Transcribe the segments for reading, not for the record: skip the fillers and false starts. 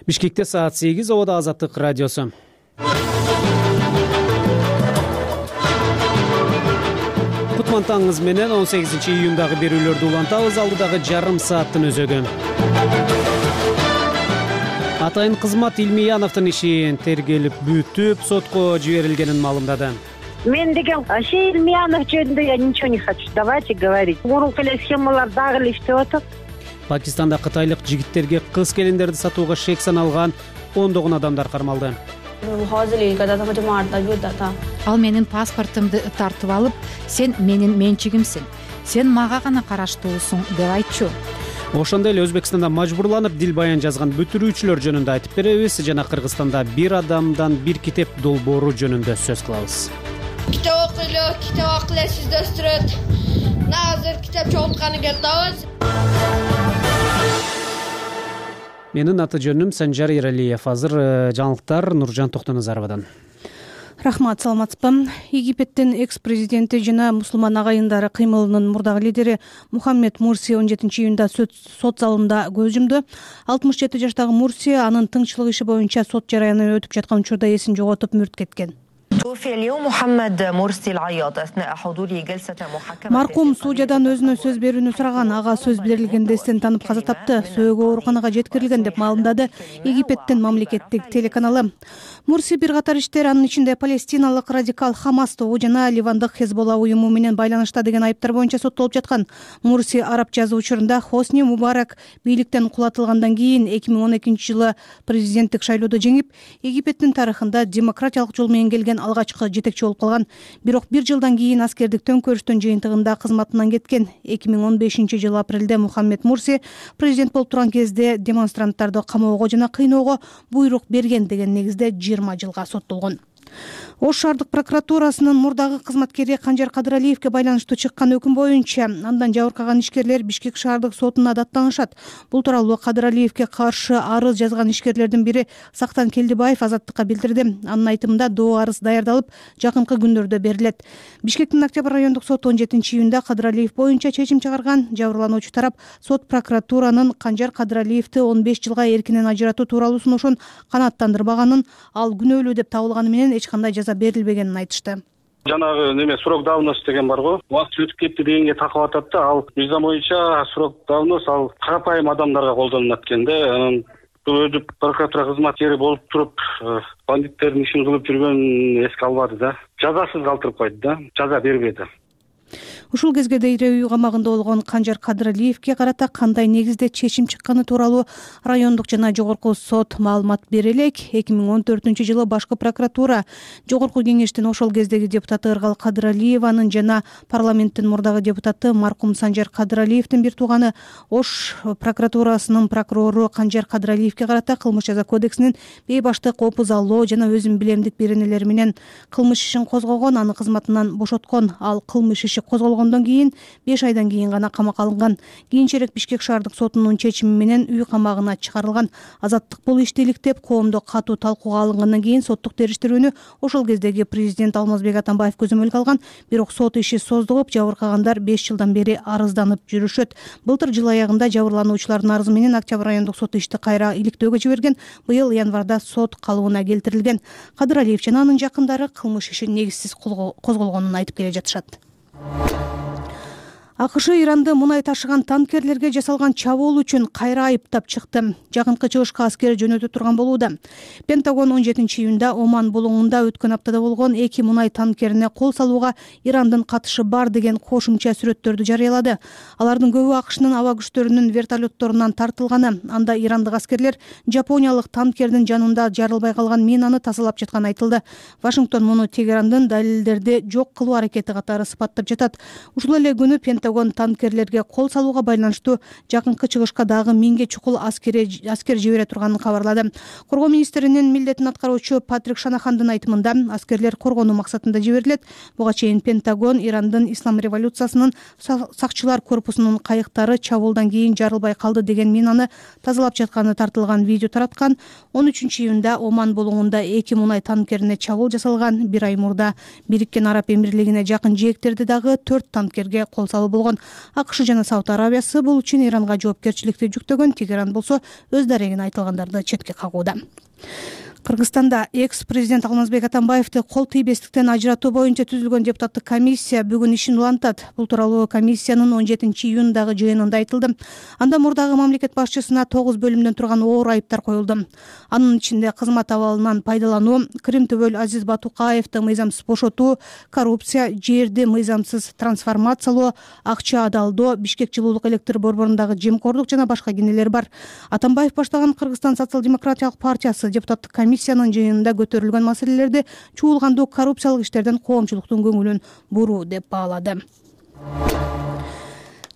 Бишкекте саат 8, Обода Азаттык радиосу. Кутман таңыңыз менен 18-июндагы берүүлөрдү улантабыз. Алдыдагы жарым сааттын өзөгү. Атайын кызмат Илмияновдун иши тергелип бүтүп, сотко жиберилгенин маалымдады. Мен деген Илмиянов жөнүндө я ничего не хочу. Давайте говорить. Мурунку эле схемалар дагы эле иштеп атат. Пакистанда кытайлык жигиттерге кыз келиндерди сатууга шек саналган 10 адамдар кармалды. Ал менин паспортумду тартып алып, сен менин менчигимсиң, сен мага гана караштуусуң деп айтчу. Ошондой эле Өзбекстанда мажбурланып дил баян жазган бүтүрүүчүлөр жөнүндө айтып беребиз жана Кыргызстанда бир адамдан бир китеп долбоору жөнүндө сөз кылабыз. Китеп окуйлу сизди өстүрөт. Азыр китеп чогултканы келдибиз. Менин аты жөнүм Санжар Эралиев. Азыр жаңылыктар Нуржан Токтоназаровадан. Рахмат, саламатсызбы. Египеттин экс-президенти жана мусулман агайындары кыймылынын мурдагы лидери Мухаммед Мурси 17-июнда сот залында көз жумду. 67 жаштагы Мурси анын тыңчылык иши боюнча сот жараяны өтүп жаткан учурда эсин жоготуп мүрт кеткен. Маркум судьядан өзүнө сөз берүүнү сураган, ага сөз берилгенде эстен танып каза тапты. Сөөгө ооруканага жеткирилген деп маалымдады Египеттин мамлекеттик телеканалы. Мурси бир катар иштер, анын ичинде палестиналык радикал Хамас тобу жана Ливандык Хезболла уюму менен байланышта деген айыптар боюнча соттолуп жаткан. Мурси араб жазуу учурунда Хосни Мубарак бийликтен кулатылгандан кийин 2012-жылы президенттик шайлоодо жеңип, Египеттин тарыхында демократиялык жол менен келген алгачкы жетекчи болуп калган. Бирок бир жылдан кийин аскердик төңкөрүштүн жыйынтыгында кызматынан кеткен. 2015-жылы апрелде Мухаммед Мурси президент болуп турган кезде демонстранттарды камоого жана кыйноого буйрук берген деген негизде 20 жылга соттолгон. Ош шаардык прокуратурасынын мурдагы кызматкери Канжар Кадыралиевге байланыштуу чыккан өкүм боюнча андан жабыркаган ишкерлер Бишкек шаардык сотуна даттанышат. Бул тууралуу Кадыралиевге каршы арыз жазган ишкерлердин бири Сактан Келдибаев Азаттыкка билдирди. Анын айтымында доо арыз даярдалып, жакынкы күндөрдө берилет. Бишкектин Октябрь райондук соту 17-июнда Кадыралиев боюнча чечим чыгарган. Жабырлануучу тарап сот прокуратуранын Канжар Кадыралиевди 15 жылга эркинен ажыратуу тууралуу сунушун канааттандырбаганын, ал күнөөлүү деп табылганы менен эч кандай жаза берилбегенин айтышты. Жанагы срок давности деген бар го. Убакыт өтүп кетти дегенге такып атат да, ал мыйзам боюнча срок давност ал карапайым адамдарга колдонулат экен да. Анан өзү прокуратура кызматкери болуп туруп, бандиттердин ишин кылып жүргөн эске албады да. Жазасыз калтырып койду да, жаза бербеди. Ушул кезге дейре үй камагында болгон Канжар Кадыралиевге карата кандай негизде чечим чыкканы тууралуу райондук жана жогорку сот маалымат бере элек. 2014-жылы башкы прокуратура жогорку кеңештин ошол кездеги депутаты Ыргал Кадыралиеванын жана парламенттин мурдагы депутаты маркум Санжар Кадыралиевдин бир тууганы Ош прокуратурасынын прокурору Канжар Кадыралиевге карата кылмыш жаза кодексинин бейбаштык, опузалоо жана өзүм билемдик беренелери менен кылмыш ишин козгогон, аны кызматынан бошоткон. Ал кылмыш иши козголгондон кийин 5 айдан кийин гана камакка алынган. Кийинчерээк Бишкек шаардык сотунун чечими менен үй камагына чыгарылган. Азаттык бул ишти иликтеп, коомдо катуу талкууга алынгандан кийин соттук териштирүүнү ошол кездеги президент Алмазбек Атамбаев көзөмөлгө алган. Бирок сот иши создугуп, жабыркагандар 5 жылдан бери арызданып жүрүшөт. Былтыр жыл аягында жабырлануучулардын арызы менен Октябрь райондук соту ишти кайра иликтөөгө жиберген. Быйыл январда сот калыбына келтирилген. Кадыралиев жана анын жакындары кылмыш иши негизсиз козголгонун айтып келе жатышат. АКШ Иранды мунай ташыган танкерлерге жасалган чабуул үчүн кайра айыптап чыкты. Жакынкы чыгышка аскер жөнөтө турган болууда. Пентагон 17-июнда Оман булуңунда өткөн аптада болгон 2 мунай танкерине кол салууга Ирандын катышы бар деген кошумча сүрөттөрдү жарыялады. Алардын көбү АКШнын аба күчтөрүнүн вертолетторунан тартылганы. Анда ирандык аскерлер жапониялык танкердин жанында жарылбай калган минаны тазалап жатканы айтылды. Вашингтон муну Тегерандын далилдерди жок кылуу аракети катары сыпаттап жатат. Ушул эле күнү Пентагон танкерлерге кол салууга байланыштуу жакынкы чыгышка дагы 1000ге чукул аскер жибере турганын кабарлады. Коргоо министринин милдетин аткаруучу Патрик Шанахандын айтымында аскерлер коргонуу максатында жиберилет. Буга чейин Пентагон Ирандын ислам революциясынын сакчылар корпусунун кайыктары чабуулдан кийин жарылбай калды деген минаны тазалап жатканы тартылган видео тараткан. 13-июнда Оман булуңунда 2 мунай танкерине чабуул жасалган. 1 ай мурда Бириккен Араб Эмирлигине жакын жээктерде дагы 4 танкерге кол салуу болгон АКШ жана Сауд Арабиясы бул үчүн Иранга жоопкерчиликти жүктөгөн. Тегеран болсо өз дарегин айтылгандарды четке кагууда. Кыргызстанда экс-президент Алмазбек Атамбаевди кол тийбестиктен ажыратуу боюнча түзүлгөн депутаттык комиссия бүгүн ишин улантат. Бул тууралуу комиссиянын 17-июндагы жыйынында айтылды. Анда мурдагы мамлекет башчысына 9 бөлүмдөн турган оор айыптар коюлду. Анын ичинде кызмат абалынан пайдалануу, Крим төбөл Азиз Батукаевди мыйзамсыз бошотуу, коррупция, жерди мыйзамсыз трансформациялоо, акча адалдоо, Бишкек жылуулук электр борборундагы жемкорлук жана башка кенелер бар. Атамбаев баштаган Кыргызстан социал-демократиялык партиясы депутаттык комиссиянын жыйынында көтөрүлгөн маселелерди чуулгандуу коррупциялык иштерден коомчулуктун көңүлүн буруу деп баалады.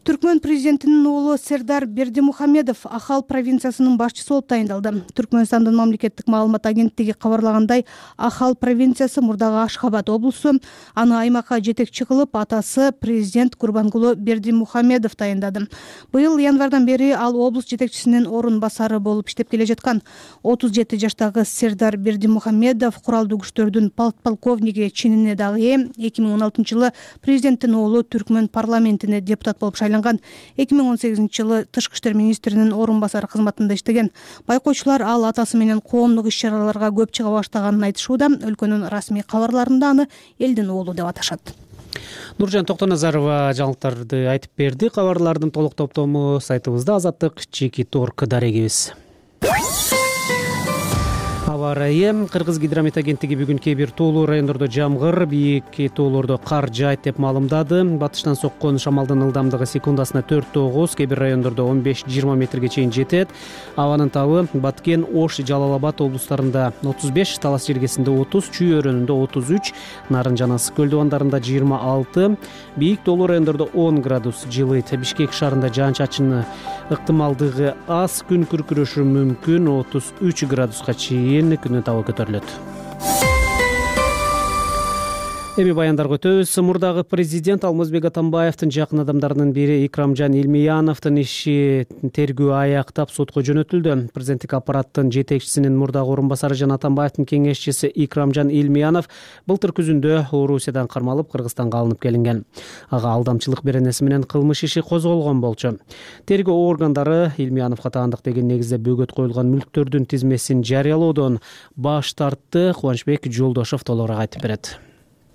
Түркмөн президентинин уулу Сердар Бердимухамедов Ахал провинциясынын башчысы болуп тайындалды. Түркмөнстандын мамлекеттик маалымат агенттиги кабарлагандай, Ахал провинциясы мурдагы Ашхабад облусу. Аны аймакка жетекчи кылып атасы президент Курбангулу Бердимухамедов тайындады. Быйыл январдан бери ал облус жетекчисинин орун басары болуп иштеп келе жаткан. 37 жаштагы Сердар Бердимухамедов куралдуу күчтөрдүн полковниги чинине дагы ээ. 2016-жылы президенттин уулу Түркмөн парламентине депутат болуп шайланган. 2018-жылы тышкы иштер министринин орун басары кызматында иштеген. Байкоочулар ал атасы менен коомдук иш-чараларга көп чыга баштаганын айтышууда. Өлкөнүн расмий кабарларында аны элдин уулу деп аташат. Нуржан Токтоназарова жаңылыктарды айтып берди. Кабарлардын толук топтому сайтыбызда Азаттык Чекит.орг дарегибиз. Аба ырайы. Кыргыз гидромет агенттиги бүгүн кээ бир тоолуу райондордо жамгыр, бийик тоолордо кар жаайт деп маалымдады. Батыштан соккон шамалдын ылдамдыгы секундасына 4-9, кээ бир райондордо 15-20 метрге чейин жетет. Абанын табы Баткен, Ош, Жалал-Абад облустарында 35, Талас жергесинде 30, Чүй өрөөнүндө 33, Нарын жана Ысык көл дубандарында 26, бийик тоолуу райондордо 10 градус жылыйт. Бишкек шаарында жаан-чачын ыктымалдыгы аз, күн күркүрөшү мүмкүн, 33 градуска чейин күнүн табы көтөрүлөт. Эми баяндарга өтөбүз. Мурдагы президент Алмазбек Атамбаевдин жакын адамдарынын бири Икрамжан Илмияновдун иши тергөө аяктап сотко жөнөтүлдү. Президенттик аппараттын жетекчисинин мурдагы орун басары жана Атамбаевдин кеңешчиси Икрамжан Илмиянов былтыр күзүндө Орусиядан кармалып Кыргызстанга алынып келинген. Ага алдамчылык беренеси менен кылмыш иши козголгон болчу. Тергөө органдары Илмияновго таандык деген негизде бөгөт коюлган мүлктөрдүн тизмесин жарыялоодон баш тартты. Кубанычбек Жолдошов толугураак айтып берет.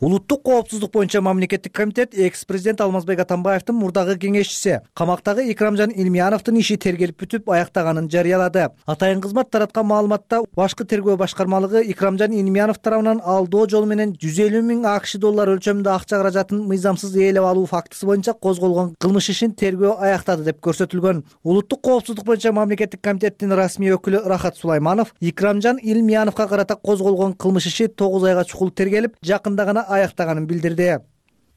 Улуттук коопсуздук боюнча мамлекеттик комитет экс-президент Алмазбек Атамбаевдин мурдагы кеңешчиси камактагы Икрамжан Илмияновдун иши тергелип бүтүп аяктаганын жарыялады. Атайын кызмат тараткан маалыматта башкы тергөө башкармалыгы Икрамжан Илмиянов тарабынан алдоо жолу менен 150 000 АКШ доллар өлчөмүндө акча каражатын мыйзамсыз ээлеп алуу фактысы боюнча козголгон кылмыш ишин тергөө аяктады деп көрсөтүлгөн. Улуттук коопсуздук боюнча мамлекеттик комитеттин расмий өкүлү Рахат Сулайманов Икрамжан Илмияновго карата козголгон кылмыш иши 9 айга чукул тергелип, жакында гана аяктаганын билдирди.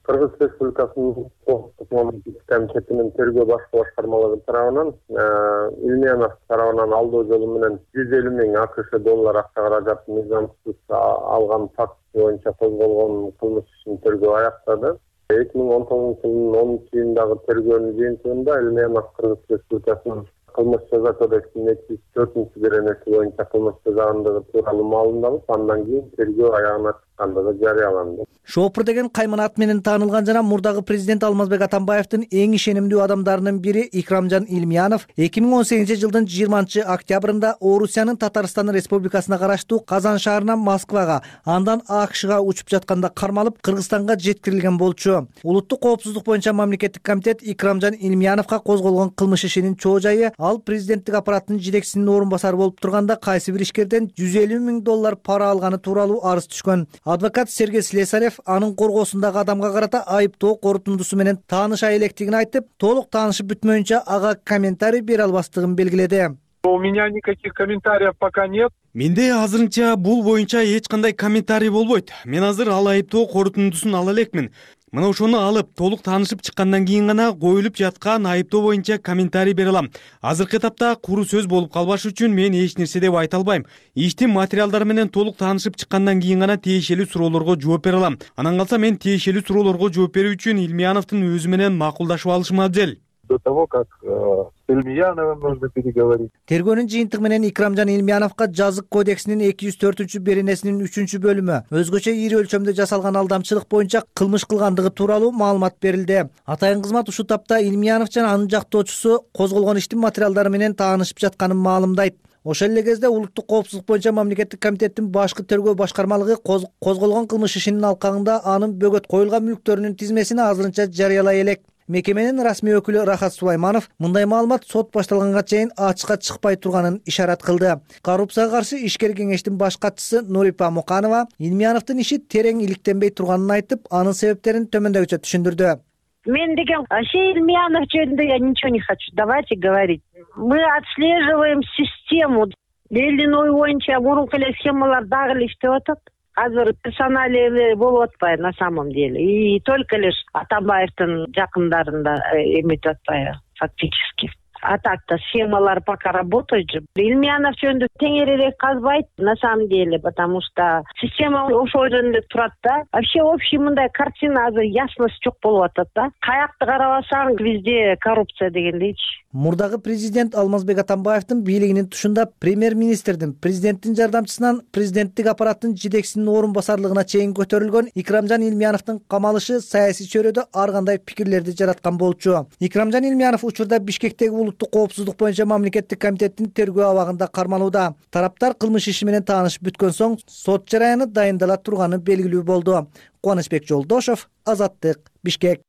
Кыргыз Республикасынын коопсуздук мамлекеттик комитетинин тергөө башкы башкармалыгы тарабынан Илмиянов тарабынан алдоо жолу менен 150 000 АКШ доллар акча каражатын мыйзамсыз алган фактысы боюнча козголгон кылмыш ишин тергөө аяктады. 2019-жылдын 10-июндагы тергөөнүн жыйынтыгында Илмиянов Кыргыз Республикасынын кылмыш жаза кодексинин 4-беренеси боюнча кылмыш жазгандыгы тууралуу маалымдалып, андан кийин тергөө аягына чыккандыгы жарыяланды. Шопур деген кайман ат менен таанылган жана мурдагы президент Алмазбек Атамбаевдин эң ишенимдүү адамдарынын бири Икрамжан Илмиянов 2018-жылдын 20-октябрында Орусиянын Татарстан Республикасына караштуу Казан шаарынан Москвага, андан АКШга учуп жатканда кармалып Кыргызстанга жеткирилген болчу. Улуттук коопсуздук боюнча мамлекеттик комитет Икрамжан Илмияновго козголгон кылмыш ишинин чоо жайы ал президенттик аппараттын жетекчисинин орун басары болуп турганда кайсы бир ишкерден 150 000 доллар пара алганы тууралуу арыз түшкөн. Адвокат Сергей Слесарев анын коргоосундагы адамга карата айыптоо корутундусу менен тааныша электигин айтып, толук таанышып бүтмөйүнчө ага комментарий бере албастыгын белгиледи. У меня никаких комментариев пока нет. Менде азырынча бул боюнча эч кандай комментарий болбойт. Мен азыр ал айыптоо корутундусун ала элекмин. Мына ошону алып, толук таанышып чыккандан кийин гана коюлуп жаткан айыптоо боюнча комментарий бере алам. Азыркы этапта куру сөз болуп калбаш үчүн мен эч нерсе деп айта албайм. Иштин материалдары менен толук таанышып чыккандан кийин гана тиешелүү суроолорго жооп бере алам. Анан калса мен тиешелүү суроолорго жооп берүү үчүн Илмияновдун өзү менен макулдашып алышым абзел. до того, как с Ильмияновым нужно переговорить. Тергөөнүн жыйынтыгы менен Икрамжан Илмияновго жазык кодексинин 204-беренесинин 3-бөлүмү өзгөчө ири өлчөмдө жасалган алдамчылык боюнча кылмыш кылгандыгы тууралуу маалымат берилди. Атайын кызмат ушул тапта Илмиянов жана анын жактоочусу козголгон иштин материалдары менен таанышып жатканын маалымдайт. Ошол эле кезде улуттук коопсуздук боюнча мамлекеттик комитеттин башкы тергөө башкармалыгы козголгон кылмыш ишинин алкагында анын бөгөт коюлган мүлктөрүнүн тизмесин азырынча жарыялай элек. Мекеменин расмий өкүлү Рахат Сулайманов мындай маалымат сот башталганга чейин ачыкка чыкпай турганын ишарат кылды. Коррупцияга каршы ишкер кеңештин баш катчысы Нурипа Муканова Илмияновдун иши терең иликтенбей турганын айтып, анын себептерин төмөндөгүчө түшүндүрдү. Мен деген вообще Ильмиянов жөнүндө я ничего не хочу. Давайте говорить. Мы отслеживаем систему. Элдин ою боюнча мурунку эле схемалар дагы эле иштеп атат. Азыр персоналии болуп атпайбы на самом деле. И только лишь Атамбаевдин жакындарында эметип атпайбы фактически. А так-то схемалар пока работают же. Ильмиянов жөнүндө теңирээк казбайт на самом деле, потому что система ошол жөнүндө турат да. Вообще общий мындай картина азыр ясность жок болуп атат да. Каякты карабасаң везде коррупция дегендейчи. Мурдагы президент Алмазбек Атамбаевдин бийлигинин тушунда премьер-министрдин, президенттин жардамчысынан президенттик аппараттын жетекчисинин орун басарлыгына чейин көтөрүлгөн Икрамжан Илмияновдун камалышы саясий чөйрөдө ар кандай пикирлерди жараткан болчу. Икрамжан Илмиянов учурда Бишкектеги улуттук коопсуздук боюнча мамлекеттик комитеттин тергөө абагында кармалууда. Тараптар кылмыш иши менен таанышып бүткөн соң сот жараяны дайындала турганы белгилүү болду. Кубанычбек Жолдошов, Азаттык, Бишкек.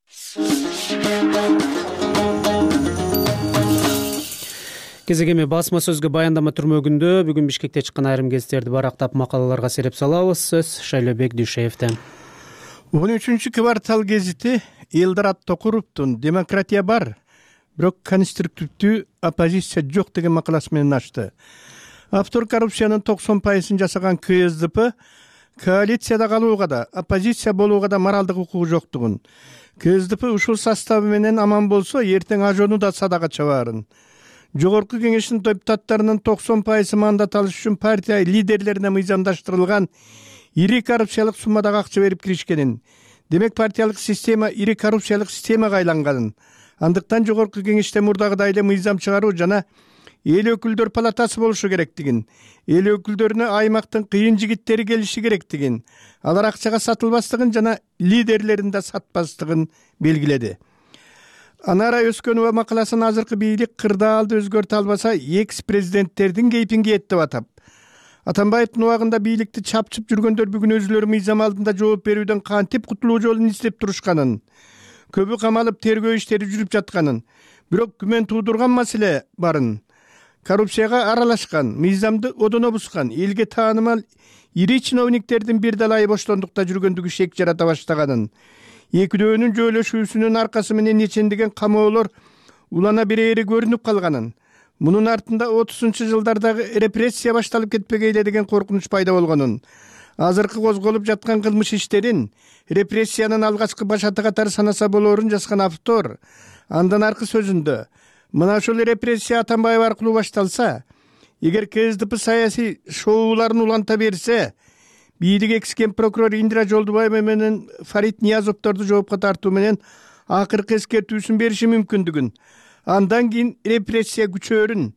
Кезегеме басма сөзгө баяндама түрмөгүндө бүгүн Бишкекте чыккан айрым гезиттерди барактап макалаларга сереп салабыз. Сөз Шайлобек Дүйшеевде. 13-квартал гезити Элдорат Токуровдун «Демократия бар, бирок конструктивдүү оппозиция жок» деген макаласы менен ачты. Автор коррупциянын 90% жасаган КСДП коалицияда калууга да, оппозиция болууга да моралдык укугу жоктугун, КСДП ушул составы менен аман болсо эртең ажону да садага чабаарын, Жогорку кеңештин депутаттарынын 90% мандат алыш үчүн партия лидерлерине мыйзамдаштырылган ири коррупциялык суммадагы акча берип киришкенин, демек партиялык система ири коррупциялык системага айланганын, андыктан жогорку кеңеште мурдагыдай эле мыйзам чыгаруу жана эл өкүлдөр палатасы болушу керектигин, эл өкүлдөрүнө аймактын кыйын жигиттери келиши керектигин, алар акчага сатылбастыгын жана лидерлерин да сатпастыгын белгиледи. Анара Өскөнова макаласын азыркы бийлик кырдаалды өзгөртө албаса экс-президенттердин кейпин кийет деп атап, Атамбаевдин убагында бийликти чапчып жүргөндөр бүгүн өзүлөрү мыйзам алдында жооп берүүдөн кантип кутулуу жолун издеп турушканын, көбү камалып тергөө иштери жүрүп жатканын, бирок күмөн туудурган маселе барын, коррупцияга аралашкан, мыйзамды одоно бускан, элге таанымал ири чиновниктердин бир далайы боштондукта жүргөндүгү шек жарата баштаганын, экөөөнүн жөөлөшүүсүнүн аркасы менен нечендеген камоолор улана берери көрүнүп калганын, мунун артында 30-жылдардагы репрессия башталып кетпегейле деген коркунуч пайда болгонун, азыркы козголуп жаткан кылмыш иштерин репрессиянын алгачкы башаты катары санаса болоорун жазган автор андан аркы сөзүндө мына ошол репрессия Атамбаев аркылуу башталса, эгер КСДП саясий шоуларын уланта берсе, бийлик экскен прокурор Индира Жолдубаева менен Фарид Ниязовдорду жоопко тартуу менен акыркы эскертүүсүн бериши мүмкүндүгүн, андан кийин репрессия күчөөрүн,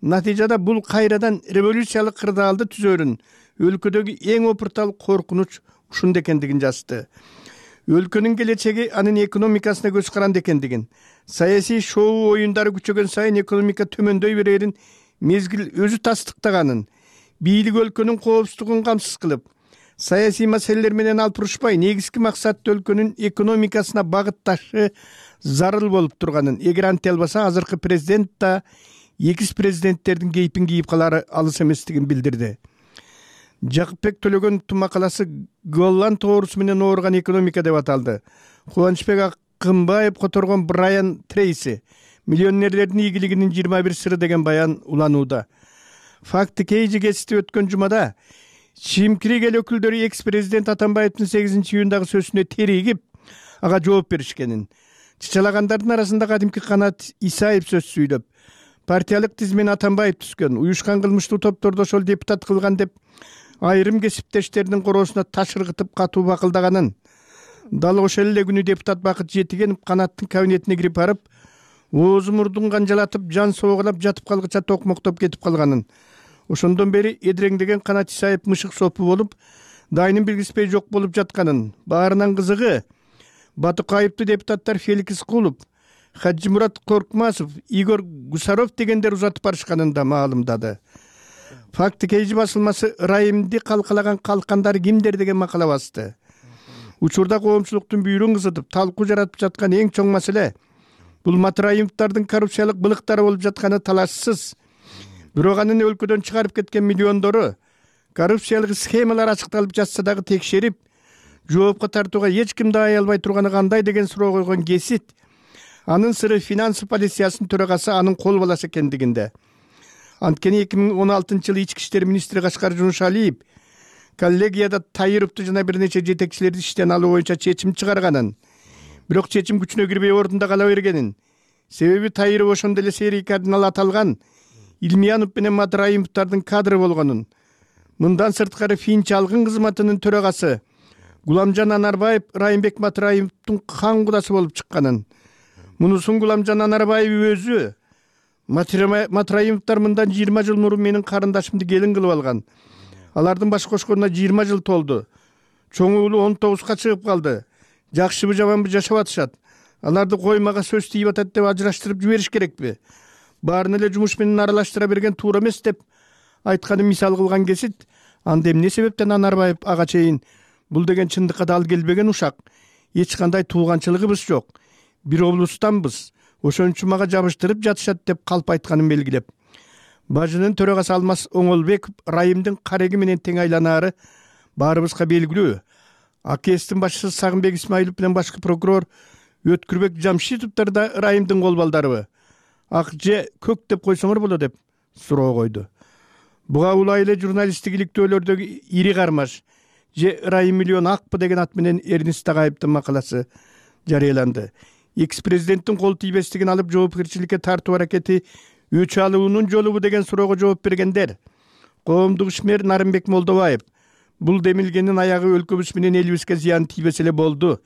натыйжада бул кайрадан революциялык кырдаалды түзөөрүн, өлкөдөгү эң опуртал коркунуч ушунда экендигин жазды. Өлкөнүн келечеги анын экономикасына көз каранды экендигин, саясий шоу оюндары күчөгөн сайын экономика төмөндөй берерин мезгил өзү тастыктаганын, бийлик өлкөнүн коопсуздугун камсыз кылып, саясий маселелер менен алпурушпай, негизги максаты өлкөнүн экономикасына багытташы зарыл болуп турганын, эгер анте албаса азыркы президент да экс-президенттердин кейпин кийип калары алыс эместигин билдирди. Жакыпбек Төлөгөновдун макаласы Голланд тоорусу менен ооруган экономика деп аталды. Кубанычбек Акымбаев которгон Брайан Трейси «Миллионерлердин ийгилигинин 21 сыры» деген баян уланууда. Факты Кейжи гезити өткөн жумада чимкирик эл өкүлдөрү экс-президент Атамбаевдин 8-июндагы сөзүнө теригип, ага жооп беришкенин, чычалагандардын арасында кадимки Канат Исаев сөз сүйлөп, партиялык тизмен Атамбаев түзгөн, уюшкан кылмыштуу топторду ошол депутат кылган деп айрым кесиптештеринин короосуна таш ыргытып катуу бакылдаганын, дал ошол эле күнү депутат Бакыт Жетигенов Канаттын кабинетине кирип барып, оозу мурдун канжалатып жан соогулап жатып калгыча токмоктоп кетип калганын, ошондон бери эдиреңдеген канат исайып мышык сопу болуп дайынын билгиспей жок болуп жатканын, баарынан кызыгы батык айыптуу депутаттар Феликс Кулов, Хаджимурат Коркмасов, Игорь Гусаров дегендер узатып барышканын да маалымдады. Факты кейжи басылмасы ырайымды калкалаган калкандар кимдер деген макала басты. Учурда коомчулуктун бүйүрүн кызытып талкуу жаратып жаткан эң чоң маселе бул Матраимовдардын коррупциялык былыктары болуп жатканы талашсыз. Бирок анын өлкөдөн чыгарып кеткен миллиондору коррупциялык схемалар ачыкталып жатса дагы текшерип, жоопко тартууга эч ким даай албай турганы кандай деген суроо койгон Кесит анын сыры финанс полициясынын төрагасы анын кол баласы экендигинде. Анткени 2016-жылы ички иштер министри Кашкар Жунушалиев коллегияда Таировду жана бир нече жетекчилерди иштен алуу боюнча чечим чыгарганын, бирок чечим күчүнө кирбей ордунда кала бергенин, себеби Таиров ошондо эле серий кардинал аталган Илмиянов менен Матраимовдардын кадры болгонун, мындан сырткары Фин чалгын кызматынын төрагасы Гуламжан Анарбаев Райымбек Матраимовдун кан кудасы болуп чыкканын, мунусун Гуламжан Анарбаев өзү Матраимовдар мындан 20 жыл мурун менин карындашымды келин кылып алган. Алардын баш кошконуна 20 жыл толду. Чоң уулу 19га чыгып калды. Жакшыбы жаманбы жашап атышат. Аларды коймага сөз тийип атат деп ажыраштырып жибериш керекпи? Баарын эле жумуш менен аралаштыра берген туура эмес деп айтканын мисал кылган Кесит, анда эмне себептен Анарбаев ага чейин бул деген чындыкка дал келбеген ушак, эч кандай тууганчылыгыбыз жок, бир облустанбыз, ошон үчүн мага жабыштырып жатышат деп калп айтканын белгилеп, бажынын төрагасы Алмаз Оңолбеков Райымдын кареги менен тең айланаары баарыбызга белгилүү. АКСтин башчысы Сагынбек Исмаилов менен башкы прокурор Өткүрбек Жамшитовдор да Райымдын кол балдарыбы? Ак же көк деп койсоңор болот деп суроо койду. Буга улай эле журналисттик иликтөөлөрдөгү ири кармаш же Райым миллион акпы деген ат менен Эрнис Тагаевдин макаласы жарыяланды. Экс-президенттин кол тийбестигин алып жоопкерчиликке тартуу аракети өч алуунун жолубу деген суроого жооп бергендер коомдук ишмер Нарымбек Молдобаев, бул демилгенин аягы өлкөбүз менен элибизге зыян тийбесе эле болду.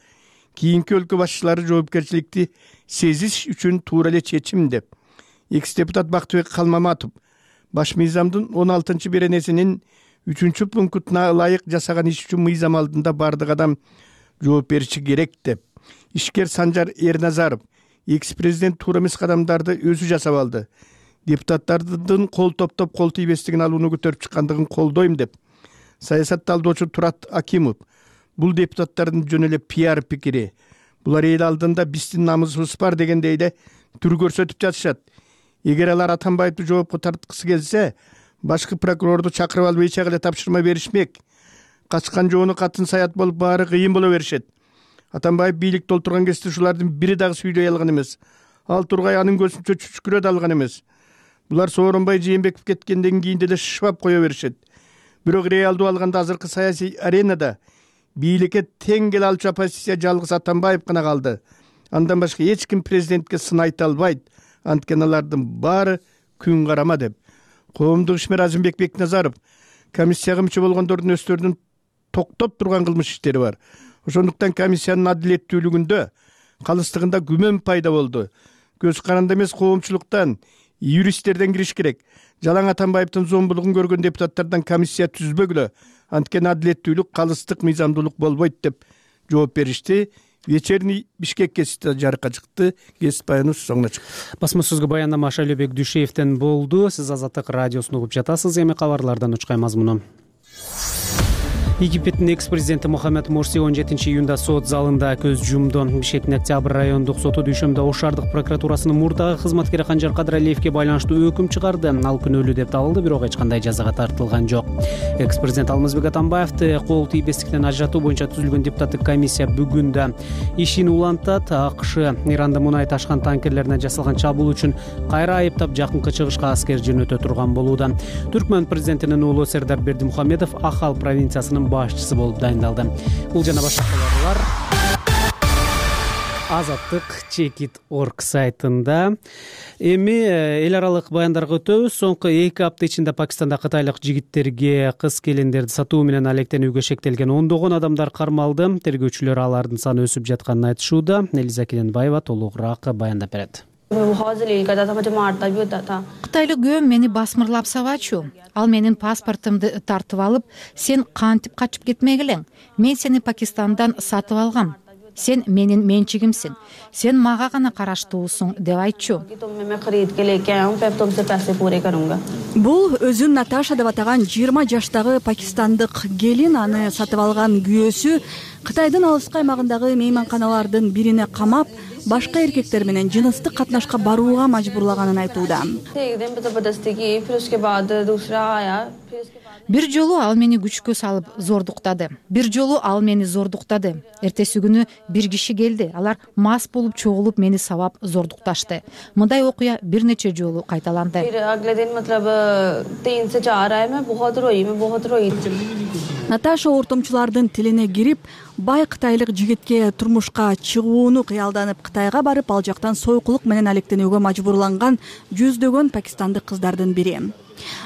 Кийинки өлкө башчылары жоопкерчиликти сезиш үчүн туура эле чечим деп. Экс-депутат Бактыбек Калмаматов баш мыйзамдын 16-беренесинин 3-пунктуна ылайык жасаган иш үчүн мыйзам алдында бардык адам жооп бериши керек деп. Ишкер Санжар Эрназаров экс-президент туура эмес кадамдарды өзү жасап алды. Депутаттардын кол топтоп кол тийбестигин алууну көтөрүп чыккандыгын колдойм деп. Саясат талдоочу Турат Акимов бул депутаттардын жөн эле пиар пикири. Булар эл алдында биздин намысыбыз бар дегендей эле түр көрсөтүп жатышат. Эгер алар Атамбаевди жоопко тарткысы келсе, башкы прокурорду чакырып алып эч эле тапшырма беришмек. Качкан жоону катын саят болуп баары кыйын боло беришет. Атамбаев бийликте олтурган кезде ушулардын бири дагы сүйлөй алган эмес. Ал тургай анын көзүнчө чүчкүрөт алган эмес. Булар Сооронбай Жээнбеков кеткенден кийин деле шышпап кое беришет. Бирок реалдуу алганда азыркы саясий аренада бийликке тең келе алчу оппозиция жалгыз Атамбаев гана калды. Андан башка эч ким президентке сын айта албайт. Анткени алардын баары күн карама деп. Коомдук ишмер Азимбек Бекназаров комиссияга мүчө болгондордун өздөрүнүн токтоп турган кылмыш иштери бар. Ошондуктан комиссиянын адилеттүүлүгүндө калыстыгында күмөн пайда болду. Көз каранды эмес коомчулуктан, юристтерден кириш керек. Жалаң Атамбаевдин зомбулугун көргөн депутаттардан комиссия түзбөгүлө. Анткени адилеттүүлүк, калыстык, мыйзамдуулук болбойт деп жооп беришти. Вечерний Бишкек гезити жарыкка чыкты. Гезит баяны соңуна чыкты. Басма сөзгө баяндама Шайлообек Дүйшеевден болду. Сиз Азаттык радиосун угуп жатасыз. Эми кабарлардан учкай мазмуну. Египеттин экс-президенти Мухаммед Мурси 17-июнда сот залында көз жумду. Бишкектин Октябрь райондук соту дүйшөмдө Ошардык прокуратурасынын мурдагы кызматкери Канжар Кадыралиевге байланыштуу өкүм чыгарды. Ал күнөөлүү деп табылды, бирок эч кандай жазага тартылган жок. Экс-президент Алмазбек Атамбаевди кол тийбестиктен ажыратуу боюнча түзүлгөн депутаттык комиссия бүгүн да ишин улантат. АКШ Иранда мунай ташкан танкерлерине жасалган чабуул үчүн кайра айыптап жакынкы чыгышка аскер жөнөтө турган болууда. Түркмөн президентинин уулу Сердар Бердимухамедов Ахал провинциясынын башчысы болуп дайындалды. Бул жана башка кабарлар Азаттык Чекит.org сайтында. Эми эл аралык баяндарга өтөбүз. Соңку 2 апта ичинде Пакистанда кытайлык жигиттерге кыз келиндерди сатуу менен алектенүүгө шектелген 10 адамдар кармалды. Тергөөчүлөр алардын саны өсүп жатканын айтышууда. Элиза Келенбаева толугураак баяндап берет. Кытайлык күйөөм мени басмырлап сабачу. Ал менин паспортумду тартып алып, сен кантип качып кетмек элең? Мен сени Пакистандан сатып алгам. Сен менин менчигимсиң. Сен мага гана караштуусуң деп айтчу. Бул өзүн Наташа деп атаган 20 жаштагы пакистандык келин, аны сатып алган күйөөсү Кытайдын алыскы аймагындагы мейманканалардын бирине камап, башка эркектер менен жыныстык катнашка барууга мажбурлаганын айтууда. Бир жолу ал мени күчкө салып зордуктады. Эртеси күнү бир киши келди. Алар мас болуп чогулуп мени сабап зордукташты. Мындай окуя бир нече жолу кайталанды. Наташа ортомчулардын тилине кирип, бай кытайлык жигитке турмушка чыгууну кыялданып Кытайга барып, ал жактан сойкулук менен алектенүүгө мажбурланган жүздөгөн пакистандык кыздардын бири.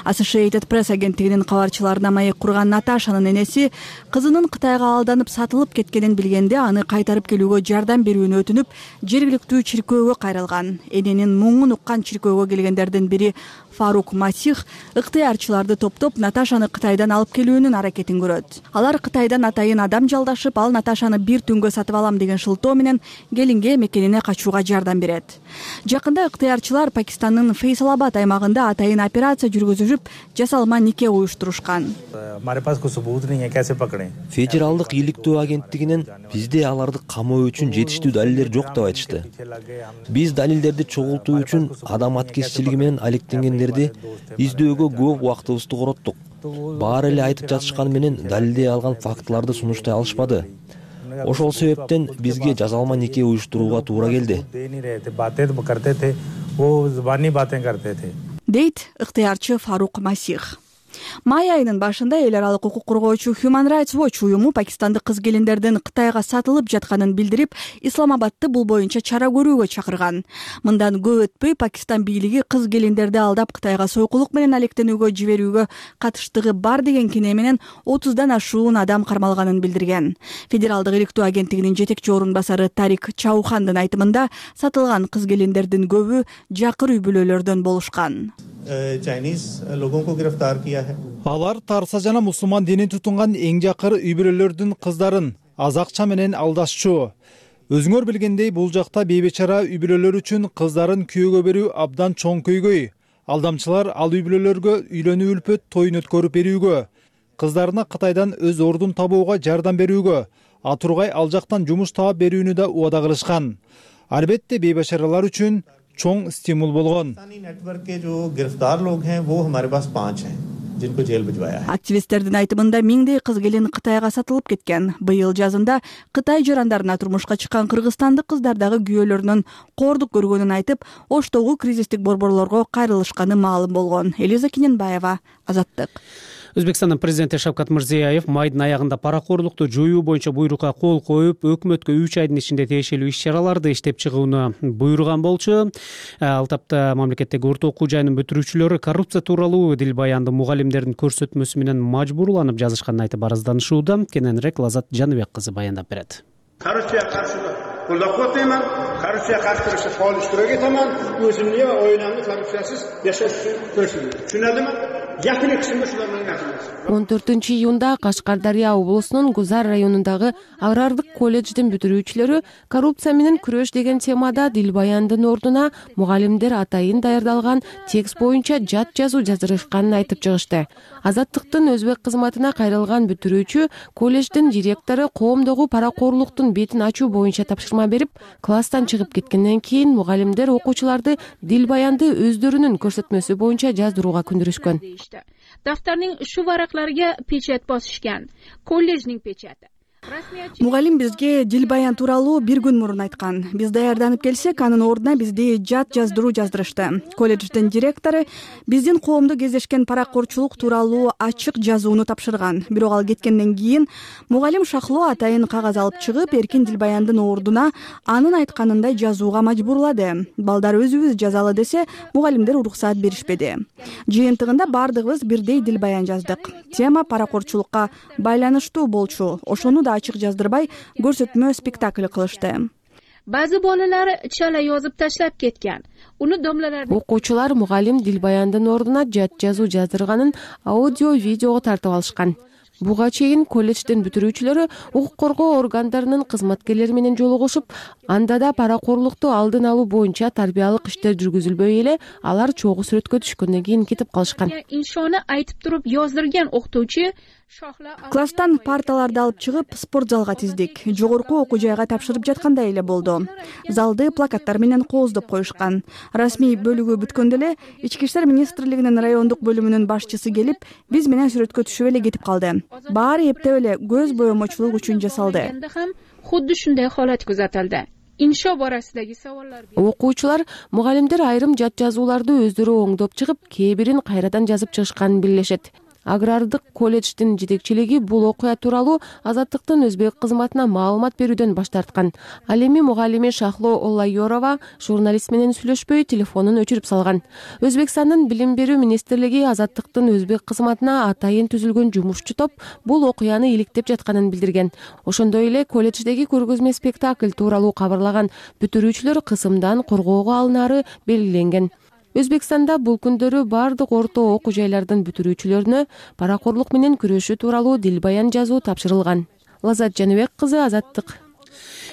Associated Press агенттигинин кабарчыларына маек курган Наташанын энеси кызынын Кытайга алданып сатылып кеткенин билгенде аны кайтарып келүүгө жардам берүүнү өтүнүп, жергиликтүү чиркөөгө кайрылган. Эненин муңун уккан чиркөөгө келгендердин бири Фарук Масих ыктыярчыларды топтоп Наташаны Кытайдан алып келүүнүн аракетин көрөт. Алар Кытайдан атайын адам жалдашып, ал Наташаны бир түнгө сатып алам деген шылтоо менен келинге мекенине качууга жардам берет. Жакында ыктыярчылар Пакистандын Фейсалабад аймагында атайын операция жүргүзүп, жасалма нике уюштурушкан. Федералдык иликтөө агенттигинен бизде аларды камоо үчүн жетиштүү далилдер жок деп айтышты. Биз далилдерди чогултуу үчүн адам аткезчилиги менен алектенгендерди издөөгө көп убактыбызды короттук. Баары эле айтып жатышканы менен далилдей алган фактыларды сунуштай алышпады. Ошол себептен бизге жасалма нике уюштурууга туура келди. Дейт ыктыярчы Фарук Масих. Май айынын башында эл аралык укук коргоочу Human Rights Watch уюму пакистандык кыз-келиндердин Кытайга сатылып жатканын билдирип, Исламабадты бул боюнча чара көрүүгө чакырган. Мындан көп өтпөй Пакистан бийлиги кыз-келиндерди алдап Кытайга сойкулук менен алектенүүгө жиберүүгө катыштыгы бар деген кине менен 30дан ашуун адам кармалганын билдирген. Федералдык иликтөө агенттигинин жетекчи орун басары Тарик Чаухандын айтымында сатылган кыз-келиндердин көбү жакыр үй бүлөлөрдөн болушкан. Алар Тарса жана мусулман динин тутунган эң жакыр үй бүлөлөрдүн кыздарын аз акча менен алдашчу. Өзүңөр билгендей, бул жакта бейбечара үй бүлөлөр үчүн кыздарын күйөөгө берүү абдан чоң көйгөй. Алдамчылар ал үй бүлөлөргө үйлөнүү үлпөт тоюн өткөрүп берүүгө, кыздарына Кытайдан өз ордун табууга жардам берүүгө, атургай ал жактан жумуш таап берүүнү да убада кылышкан. Албетте бейбечаралар үчүн чоң стимул болгон. Активисттердин айтымында миңдей кыз-келин Кытайга сатылып кеткен. Быйыл жазында Кытай жарандарына турмушка чыккан кыргызстандык кыздар дагы күйөөлөрүнөн кордук көргөнүн айтып, Оштогу кризистик борборлорго кайрылышканы маалым болгон. Элиза Киненбаева, Азаттык. Өзбекстандын президенти Шавкат Мирзиёев майдын аягында паракорлукту жоюу боюнча буйрукка кол коюп, өкмөткө 3 айдын ичинде тиешелүү иш-чараларды иштеп чыгууну буйруган болчу. Ал тапта мамлекеттеги орто окуу жайынын бүтүрүүчүлөрү коррупция тууралуу дил баянды мугалимдердин көрсөтмөсү менен мажбурланып жазышканын айтып арызданышууда. Кененирээк Лазат Жаныбек кызы баяндап берет. Коррупцияга каршы колдоп атайын, коррупцияга каршы турушта фаал иштирок этемин. Өзүмдү оюнамды коррупциясыз жашаш үчүн күрөшөм. Түшүнөдүмү? 14-июнда Кашкардария облусунун Гузар районундагы агрардык колледждин бүтүрүүчүлөрү коррупция менен күрөш деген темада дил баяндын ордуна мугалимдер атайын даярдалган текст боюнча жат жазуу жаздырышканын айтып чыгышты. Азаттыктын өзбек кызматына кайрылган бүтүрүүчү колледждин директору коомдогу паракорлуктун бетин ачуу боюнча тапшырма берип, класстан чыгып кеткенден кийин мугалимдер окуучуларды дил баянды өздөрүнүн көрсөтмөсү боюнча жаздырууга күндүрүшкөн. Дафтарның шу варaqlarga печать босишgan. Колледжнин печати. Мугалим бизге дил баян тууралуу бир күн мурун айткан. Биз даярданып келсек, анын ордуна бизди жат жаздыруу жаздырышты. Колледждин директору биздин коомдо кездешкен паракорчулук тууралуу ачык жазууну тапшырган. Бирок ал кеткенден кийин мугалим шахлоо атайын кагаз алып чыгып, эркин дил баяндын ордуна анын айтканындай жазууга мажбурлады. Балдар өзүбүз жазалы десе, мугалимдер уруксаат беришпеди. Жыйынтыгында бардыгыбыз бирдей дил баян жаздык. Тема паракорчулукка байланыштуу болчу. Ошону да ачык жаздырбай көрсөтмө спектакль кылышты. ba'zi bolalar chala yozib tashlab ketgan. Uni domlalar окуучулар мугалим Дилбаяндын ордуна жат жазуу жаздырганын аудио видеого тартып алышкан. Буга чейин колледждин бүтүрүүчүлөрү укук коргоо органдарынын кызматкерлери менен жолугушуп, анда да паракорлукту алдын алуу боюнча тарбиялык иштер жүргүзүлбөй эле алар чогуу сүрөткө түшкөндөн кийин кетип калышкан. Иншоны айтып туруп yozdырган окутуучу класстан парталарды алып чыгып спорт залга тиздик. Жогорку окуу жайга тапшырып жаткандай эле болду. Залды плакаттар менен кооздоп коюшкан. Расмий бөлүгү бүткөндө эле Ички иштер министрлигинин райондук бөлүмүнүн башчысы келип, биз менен сүрөткө түшүп эле кетип калды. Баары эптеп эле көз боемочулук үчүн жасалды. Худди шундай холат кузатылды. Иншо борасындагы саволлар. Окуучулар, мугалимдер айрым жат жазууларды өздөрү оңдоп чыгып, кээ бирин кайрадан жазып чыгышканын билишет. Агрардык колледждин жетекчилиги бул окуя тууралуу Азаттыктын өзбек кызматына маалымат берүүдөн баш тарткан. Ал эми мугалими Шахло Оллайорова журналист менен сүйлөшпөй телефонун өчүрүп салган. Өзбекстандын билим берүү министрлиги Азаттыктын өзбек кызматына атайын түзүлгөн жумушчу топ бул окуяны иликтеп жатканын билдирген. Ошондой эле колледждеги көргөзмө спектакль тууралуу кабарлаган бүтүрүүчүлөр кысымдан коргоого алынары белгиленген. Өзбекстанда бул күндөрү бардык орто окуу жайлардын бүтүрүүчүлөрүнө паракорлук менен күрөшүү тууралуу дилбаян жазуу тапшырылган. Лазат Жаныбек кызы, Азаттык.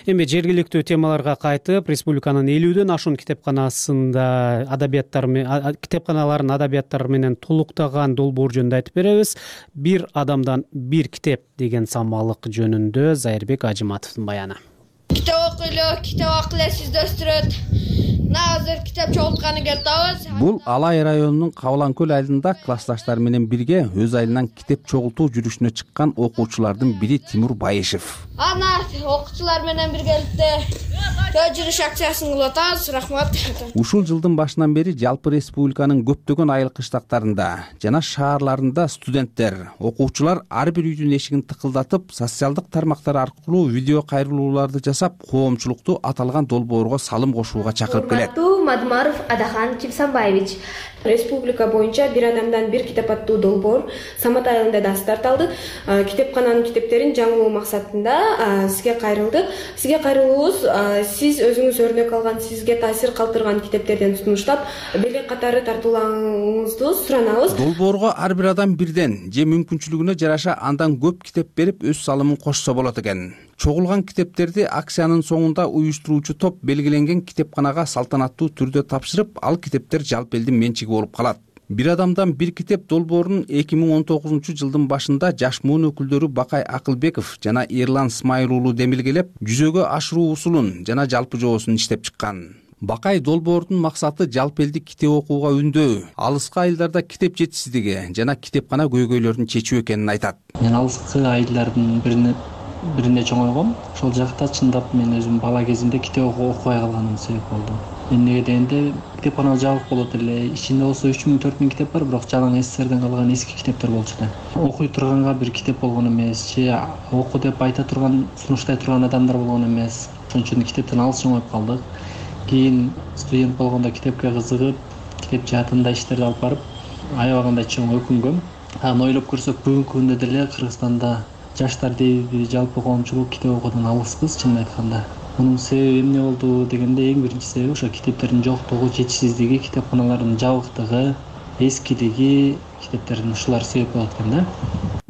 Эми жергиликтүү темаларга кайтып, республиканын 50дөн ашуун китепканаларын адабияттар менен толуктаган долбоор жөнүндө айтып беребиз. Бир адамдан бир китеп деген самалык жөнүндө Зайырбек Ажыматовдун баяны. Китеп окуйлу, китеп акылсыз өстүрөт. Назыр китеп чогултканы келебиз. Бул Алай районунун Кабылан көл айылында классташтары менен бирге өз айылынан китеп чогултуу жүрүшүнө чыккан окуучулардын бири Тимур Байышев. Ана окуучулар менен биргеликте жүрүш акциясын кылып атабыз. Рахмат. Ушул жылдын башынан бери жалпы республиканын көптөгөн айыл кыштактарында жана шаарларында студенттер, окуучулар ар бир үйдүн эшигин тыкылдатып, социалдык тармактар аркылуу видео кайрылууларды жасап, коомчулукту аталган долбоорго салым кошууга чакырып келет. Мадмаров Адахан Кимсанбаевич. Республика боюнча бир адамдан бир китеп аттуу долбоор Самат айылында да старт алды. Китепкананын китептерин жаңылоо максатында сизге кайрылдык. Сизге кайрылуубуз сиз өзүңүз өрнөк алган, сизге таасир калтырган китептерден сунуштап, белек катары тартуулооңузду суранабыз. Долбоорго ар бир адам бирден же мүмкүнчүлүгүнө жараша андан көп китеп берип өз салымын кошсо болот экен. Чогулган китептерди акциянын соңунда уюштуруучу топ белгиленген китепканага салтанаттуу түрдө тапшырып, ал китептер жалпы элдин менчиги болуп калат. Бир адамдан бир китеп долбоорун 2019 жылдын башында жаш муун өкүлдөрү Бакай Акылбеков жана Эрлан Смайыл уулу демилгелеп, жүзөгө ашыруу усулун жана жалпы жоосун иштеп чыккан. Бакай долбоордун максаты жалпы элдик китеп окууга үндөө, алыскы айылдарда китеп жетишсиздиги жана китепкана көйгөйлөрүн чечүү экенин айтат. Мен алыскы айылдардын бирине чоңойгом. Ошол жакта чындап мен өзүм бала кезимде китеп окубай калганым себеп болду. Эмнеге дегенде китепкана жабык болот эле. Ичинде болсо 3000-4000 китеп бар, бирок жалаң СССРден калган эски китептер болчу да. Окуй турганга бир китеп болгон эмес, же оку деп айта турган, сунуштай турган адамдар болгон эмес. Ошон үчүн китептен алыс чоңоюп калдык. Кийин студент болгондо китепке кызыгып, китеп жаатында иштерди алып барып, аябагандай чоң өкүнгөм. Аны ойлоп көрсөк, бүгүнкү күндө деле Кыргызстанда жаштар дейби, жалпы коомчулук китеп окуудан алыспыз, чынын айтканда. Мунун себеби эмне болду дегенде, эң биринчи себеби ошо китептердин жоктугу, жетишсиздиги, китепканалардын жабыктыгы, эскилиги, китептердин ушулар себеп болот экен да.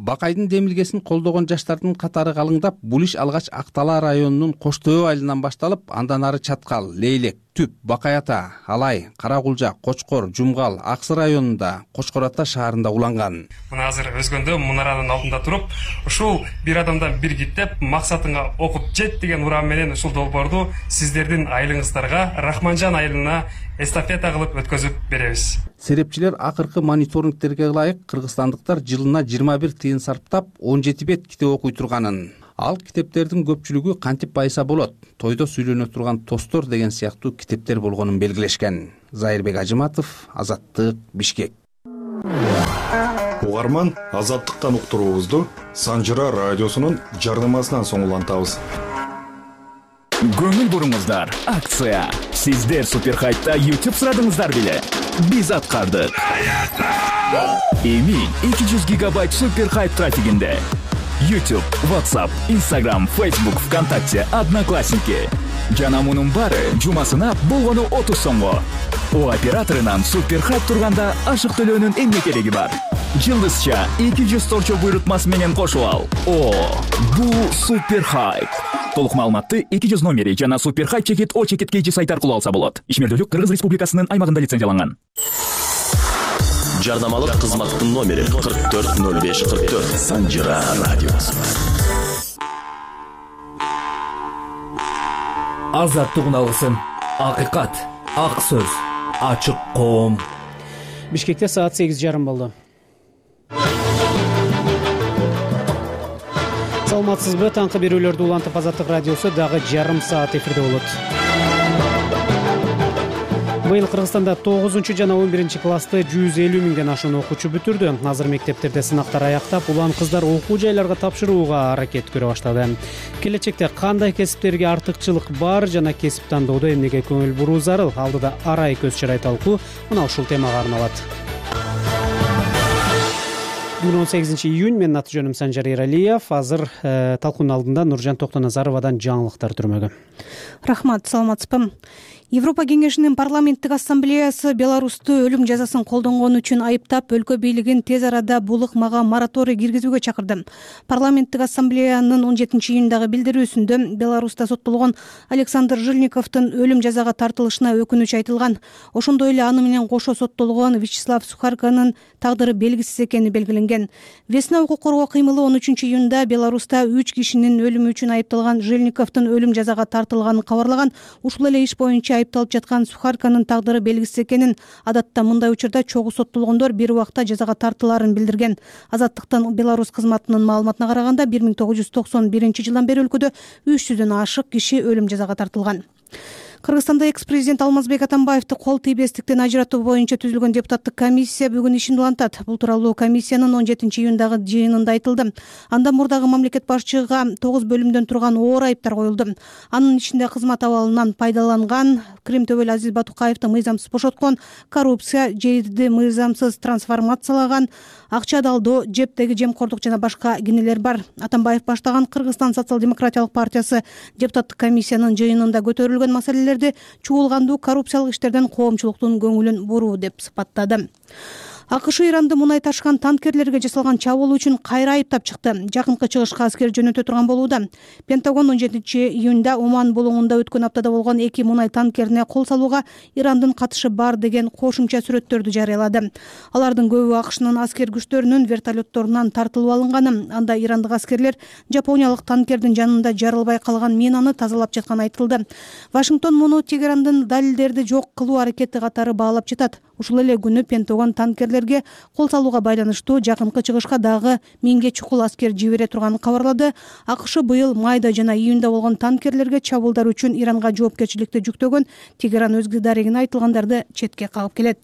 Бакайдын демилгесин колдогон жаштардын катары калыңдап, бул иш алгач Актала районунун Кош Төө айылынан башталып, андан ары Чаткал, Лейлек, Түп, Бакай Ата, Алай, Каракулжа, Кочкор, Жумгал, Аксы районунда, Кочкор Ата шаарында уланган. Мына азыр өзгөндө мунаранын алдында туруп, ушул бир адамдан бир китеп максатыңа окуп жет деген урам менен ушул долбоорду сиздердин айылыңыздарга, Рахманжан айылына эстафета кылып өткөзүп беребиз. Серепчилер акыркы мониторингтерге ылайык кыргызстандыктар жылына 21 тыйын сарптап 17 бет китеп окуй турганын. Ал китептердин көпчүлүгү кантип байса болот, тойдо сүйлөнө турган тостор деген сыяктуу китептер болгонун белгилешкен. Зайырбек Ажыматов, Азаттык, Бишкек. Угарман, Азаттыктан уктуруубузду Санжыра радиосунун жарнамасынан соң улантабыз. Көңүл буруңуздар, акция. Сиздер Суперхайтта YouTube сурадыңыздар беле? Биз аткардык. Эми 200 гигабайт Суперхайт трафигинде YouTube, WhatsApp, Instagram, Facebook, ВКонтакте, Одноклассники. Жана мунун баары жумасына болгону 30 сомго. О операторунан Суперхайп турганда ашык төлөөнүн эмне кереги бар? Жылдызча 200 торчо буйрутмасы менен кошуп ал. О, бул Суперхайп. Толук маалыматты 200 номери жана Суперхайп чекит О чекит KG сайты аркылуу алса болот. Ишмердүүлүк Кыргыз Республикасынын аймагында лицензияланган. Жарнамалык кызматтын номери 440544. Санжира радиосу. Азаттыгын алгысың. Акыйкат, ак сөз, ачык коом. Бишкекте саат 8:30 болду. Саламатсызбы? Таңкы берүүлөрдү улантып Азаттык радиосу дагы жарым саат эфирде болот. Быйыл Кыргызстанда 9 жана 11 классты 150 миңден ашуун окуучу бүтүрдү. Азыр мектептерде сынактар аяктап, улам кыздар окуу жайларга тапшырууга аракет көрө баштады. Келечекте кандай кесиптерге артыкчылык бар жана кесип тандоодо эмнеге көңүл буруу зарыл? Алдыда арай көз чарай талкуу мына ушул темага арналат. Бүгүн 18 июнь, менин аты жөнүм Санжар Эралиев. Азыр талкуунун алдында Нуржан Токтоназаровадан жаңылыктар түрмөгү. Рахмат, саламатсызбы? Европа кеңешинин парламенттик ассамблеясы Беларусту өлүм жазасын колдонгон үчүн айыптап, өлкө бийлигин тез арада бул ыкмага мораторий киргизүүгө чакырды. Парламенттик ассамблеянын 17 июндагы билдирүүсүндө Беларуста соттолгон Александр Жильниковдун өлүм жазага тартылышына өкүнүч айтылган. Ошондой эле аны менен кошо соттолгон Вячеслав Сухарканын тагдыры белгисиз экени белгиленген. Весна укук коргоо кыймылы 13 июнда Беларуста 3 кишинин өлүмү үчүн айыпталган Жильниковдун өлүм жазага тартылганын кабарлаган. Ушул эле иш боюнча айыпталып жаткан Сухарканын тагдыры белгисиз экенин, адатта мындай учурда чогуу соттолгондор бир убакта жазага тартылаарын билдирген. Азаттыктын Беларусь кызматынын маалыматына караганда 1991 жылдан бери өлкөдө 300дөн ашык киши өлүм жазага тартылган. Кыргызстанда экс-президент Алмазбек Атамбаевди кол тийбестиктен ажыратуу боюнча түзүлгөн депутаттык комиссия бүгүн ишин улантат. Бул тууралуу комиссиянын 17 июндагы жыйынында айтылды. Анда мурдагы мамлекет башчыга 9 бөлүмдөн турган оор айыптар коюлду. Анын ичинде кызмат абалынан пайдаланган, Крим төбөлү Азиз Батукаевди мыйзамсыз бошоткон, коррупция, жерди мыйзамсыз трансформациялаган, акча далдоо, жептеги жемкордук жана башка кенелер бар. Атамбаев баштаган Кыргызстан социал-демократиялык партиясы депутаттык комиссиянын жыйынында көтөрүлгөн маселелер чуулгандуу коррупциялык иштерден коомчулуктун көңүлүн буруу деп сыпаттады. АКШ Иранды мунай ташыган танкерлерге жасалган чабуул үчүн кайра айыптап чыкты. Жакынкы чыгышка аскер жөнөтө турган болууда. Пентагон 17 июнда Оман булуңунда өткөн аптада болгон 2 мунай танкерине кол салууга Ирандын катышы бар деген кошумча сүрөттөрдү жарыялады. Алардын көбү АКШнын аскер күчтөрүнүн вертолетторунан тартылып алынганы. Анда ирандык аскерлер жапониялык танкердин жанында жарылбай калган минаны тазалап жатканы айтылды. Вашингтон муну Тегерандын далилдерди жок кылуу аракети катары баалап жатат. Ушул эле күнү Пентагон танкерлерге кол салууга байланыштуу жакынкы чыгышка дагы 1000 чукул аскер жибере турганын кабарлады. АКШ быйыл майда жана июнда болгон танкерлерге чабуулдар үчүн Иранга жоопкерчиликти жүктөгөн. Тегеран өз дарегине айтылгандарды четке кагып келет.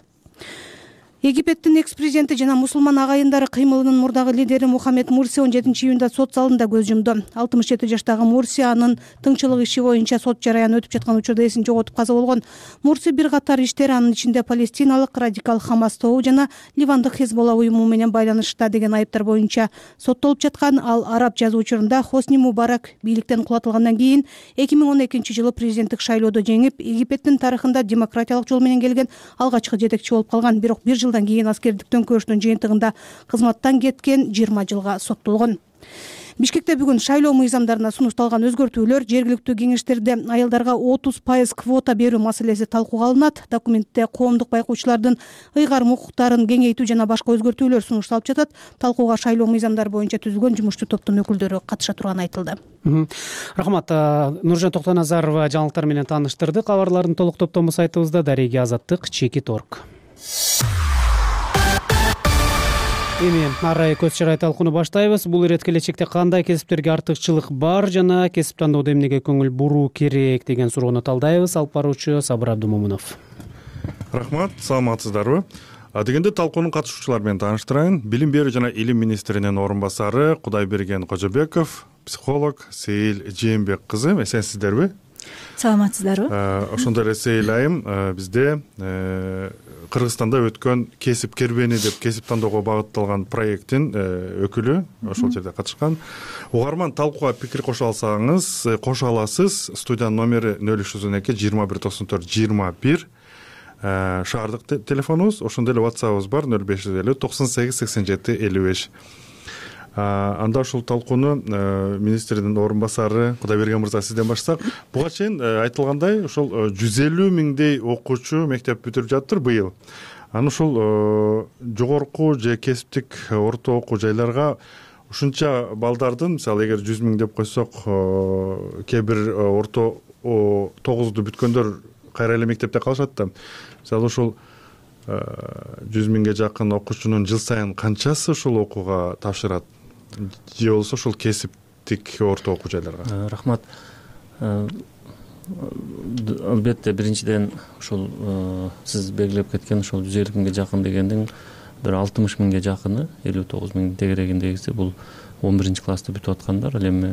Египеттин экс-президенти жана мусулман агайындары кыймылынын мурдагы лидери Мухаммед Мурси 17 июнда сот залында көз жумду. 67 жаштагы Мурси анын тыңчылык иши боюнча сот жараяны өтүп жаткан учурда эсин жоготуп каза болгон. Мурси бир катар иштер, анын ичинде палестиналык радикал Хамас тобу жана Ливандык Хезболла уюму менен байланышта деген айыптар боюнча соттолуп жаткан. Ал араб жазуучурунда Хосни Мубарак бийликтен кулатылгандан кийин 2012 жылы президенттик шайлоодо жеңип, Египеттин тарыхында демократиялык жол менен келген алгачкы жетекчи болуп калган. Бирок бир жылдан кийин аскердиктен көчтүн жыйынтыгында кызматтан кеткен 20 жылга соттолгон. Бишкекте бүгүн шайлоо мыйзамдарына сунушталган өзгөртүүлөр, жергиликтүү кеңештерде аялдарга 30% квота берүү маселеси талкууга алынат. Документте коомдук байкоочулардын ыйгарым укуктарын кеңейтүү жана башка өзгөртүүлөр сунушталып жатат. Талкууга шайлоо мыйзамдары боюнча түзүлгөн жумушчу топтун өкүлдөрү катыша турганы айтылды. Рахмат. Нуржан Токтоназарова жаңылыктар менен тааныштырды. Кабарлардын толук топтому сайтыбызда дареги Азаттык.org. Эми арай көз чарай талкууну баштайбыз. Бул ирет келечекте кандай кесиптерге артыкчылык бар жана кесип тандоодо эмнеге көңүл буруу керек деген суроону талдайбыз. Алып баруучу Сабыр Абдумомунов. Рахмат, саламатсыздарбы? Дегенде талкуунун катышуучулары менен тааныштырайын. Билим берүү жана илим министринин орун басары Кудайберген Кожобеков, психолог Сейил Жээнбек кызы, эсенсиздерби? Саламатсыздарбы? Ошондой эле Сейил айым бизде Кыргызстанда өткөн кесип кербени деп кесип тандоого багытталган проекттин өкүлү ошол жерде катышкан. Угарман талкууга пикир кошо аласыз. Студиянын номери 0312 21 94 21. Шаардык телефонубуз, ошондой эле WhatsApp'ыбыз бар 0550 98 87 55. Анда ушул талкууну министрдин орун басары Кудайберген мырза сизден баштасак. Буга чейин айтылгандай ошол 150 миңдей окуучу мектеп бүтүрүп жатыр быйыл. Аны ушул жогорку же кесиптик орто окуу жайларга ушунча балдардын, мисалы эгер 100 миң деп койсок, кээ бир орто 9ду бүткөндөр кайра эле мектепте калышат да. Мисалы ушул 100 миңге жакын окуучунун жыл сайын канчасы ушул окууга тапшырат? Же болбосо ушул кесиптик орто окуу жайларга? Рахмат. Албетте биринчиден ушул сиз белгилеп кеткен ушул 150 миңге жакын дегендин бир 60 миңге жакыны, 59 миңдин тегерегиндегиси бул 11 классты бүтүп аткандар, ал эми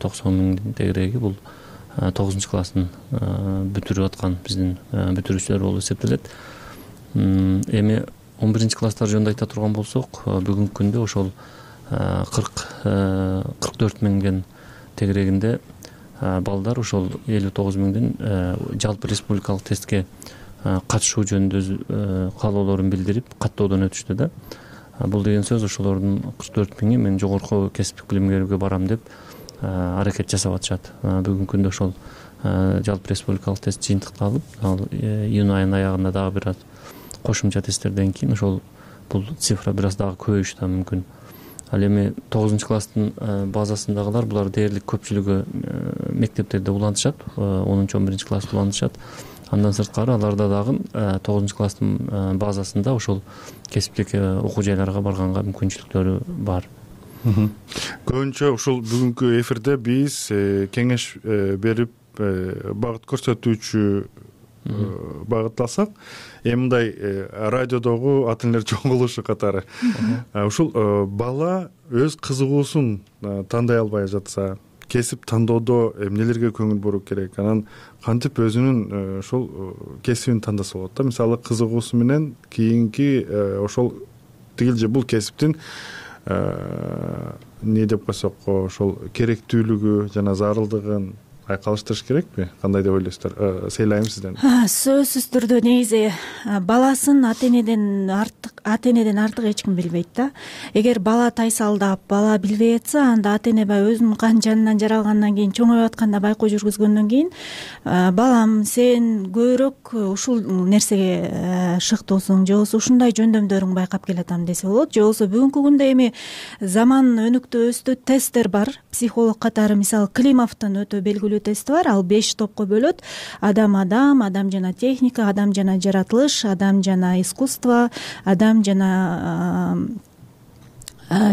90 миңдин тегереги бул 9 классын бүтүрүп аткан биздин бүтүрүүчүлөр болуп эсептелет. Эми 11 класстар жөнүндө айта турган болсок, бүгүнкү күндө ошол 44 миңдин тегерегинде балдар ошол 59 миңдин жалпы республикалык тестке катышуу жөнүндө каалоолорун билдирип каттоодон өтүштү да. Бул деген сөз ошолордун 44 миңи мен жогорку кесиптик билим берүүгө барам деп аракет жасап атышат. Бүгүнкү күндө ошол жалпы республикалык тест жыйынтыкталып, ал июнь айынын аягында дагы бир аз кошумча тесттерден кийин ошол бул цифра бир аз дагы көбөйүшү да мүмкүн. Ал эми 9 класстын базасындагылар булар дээрлик көпчүлүгү мектептерде улантышат, 10-11 классты улантышат. Андан сырткары аларда дагы 9 класстын базасында ошол кесиптик окуу жайларга барганга мүмкүнчүлүктөрү бар. Көбүнчө ушул бүгүнкү эфирде биз кеңеш берип багыт көрсөтүүчү багытталсак, эми мындай радиодогу ата энелер чогулушу катары ушул бала өз кызыгуусун тандай албай жатса, кесип тандоодо эмнелерге көңүл буруу керек, анан кантип өзүнүн ошол кесибин тандаса болот да. Мисалы кызыгуусу менен кийинки ошол тигил же бул кесиптин эмне деп койсок, ошол керектүүлүгү жана зарылдыгын айкалыштырыш керекпи? Кандай деп ойлойсуздар? Сейлайм сизден. Сөзсүз түрдө негизи баласын ата энеден артык эч ким билбейт да. Эгер бала тайсалдап, бала билбей атса, анда ата эне баягы өзүнүн кан жанынан жаралгандан кийин, чоңоюп атканда байкоо жүргүзгөндөн кийин, балам сен көбүрөөк ушул нерсеге шыктуусуң, же болбосо ушундай жөндөмдөрүң байкап келатам десе болот. Же болбосо бүгүнкү күндө эми заман өнүктү өстү, тесттер бар. Психолог катары мисалы Климовдун өтө белгилүү тести бар. Ал 5 топко бөлөт. Адам жана техника, адам жана жаратылыш, адам жана искусство, адам жана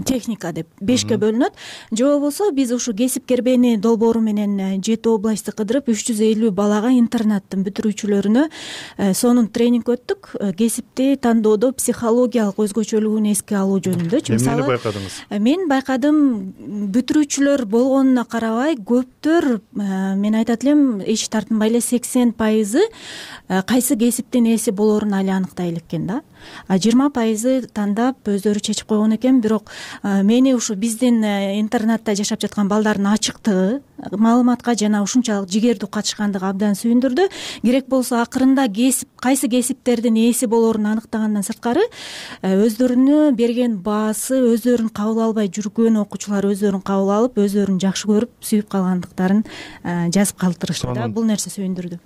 техника деп 5ке бөлүнөт. Же болбосо биз ушу кесип кербени долбоору менен 7 областты кыдырып 350 балага интернаттын бүтүрүүчүлөрүнө сонун тренинг өттүк. Кесипти тандоодо психологиялык өзгөчөлүгүн эске алуу жөнүндө. Эмнени байкадыңыз? Мен байкадым, бүтүрүүчүлөр болгонуна карабай көптөр, мен айтат элем, эч тартынбай эле 80% кайсы кесиптин ээси болоорун али аныктай элеккен да. 20% тандап өздөрү чечип койгон экен. Бирок мени ушу биздин интернатта жашап жаткан балдардын ачыктыгы, маалыматка жана ушунчалык жигердүү катышкандыгы абдан сүйүндүрдү. Керек болсо акырында кайсы кесиптердин ээси болоорун аныктагандан сырткары, өздөрүнө берген баасы, өздөрүн кабыл албай жүргөн окуучулар өздөрүн кабыл алып, өздөрүн жакшы көрүп, сүйүп калгандыктарын жазып калтырышты да. Бул нерсе сүйүндүрдү.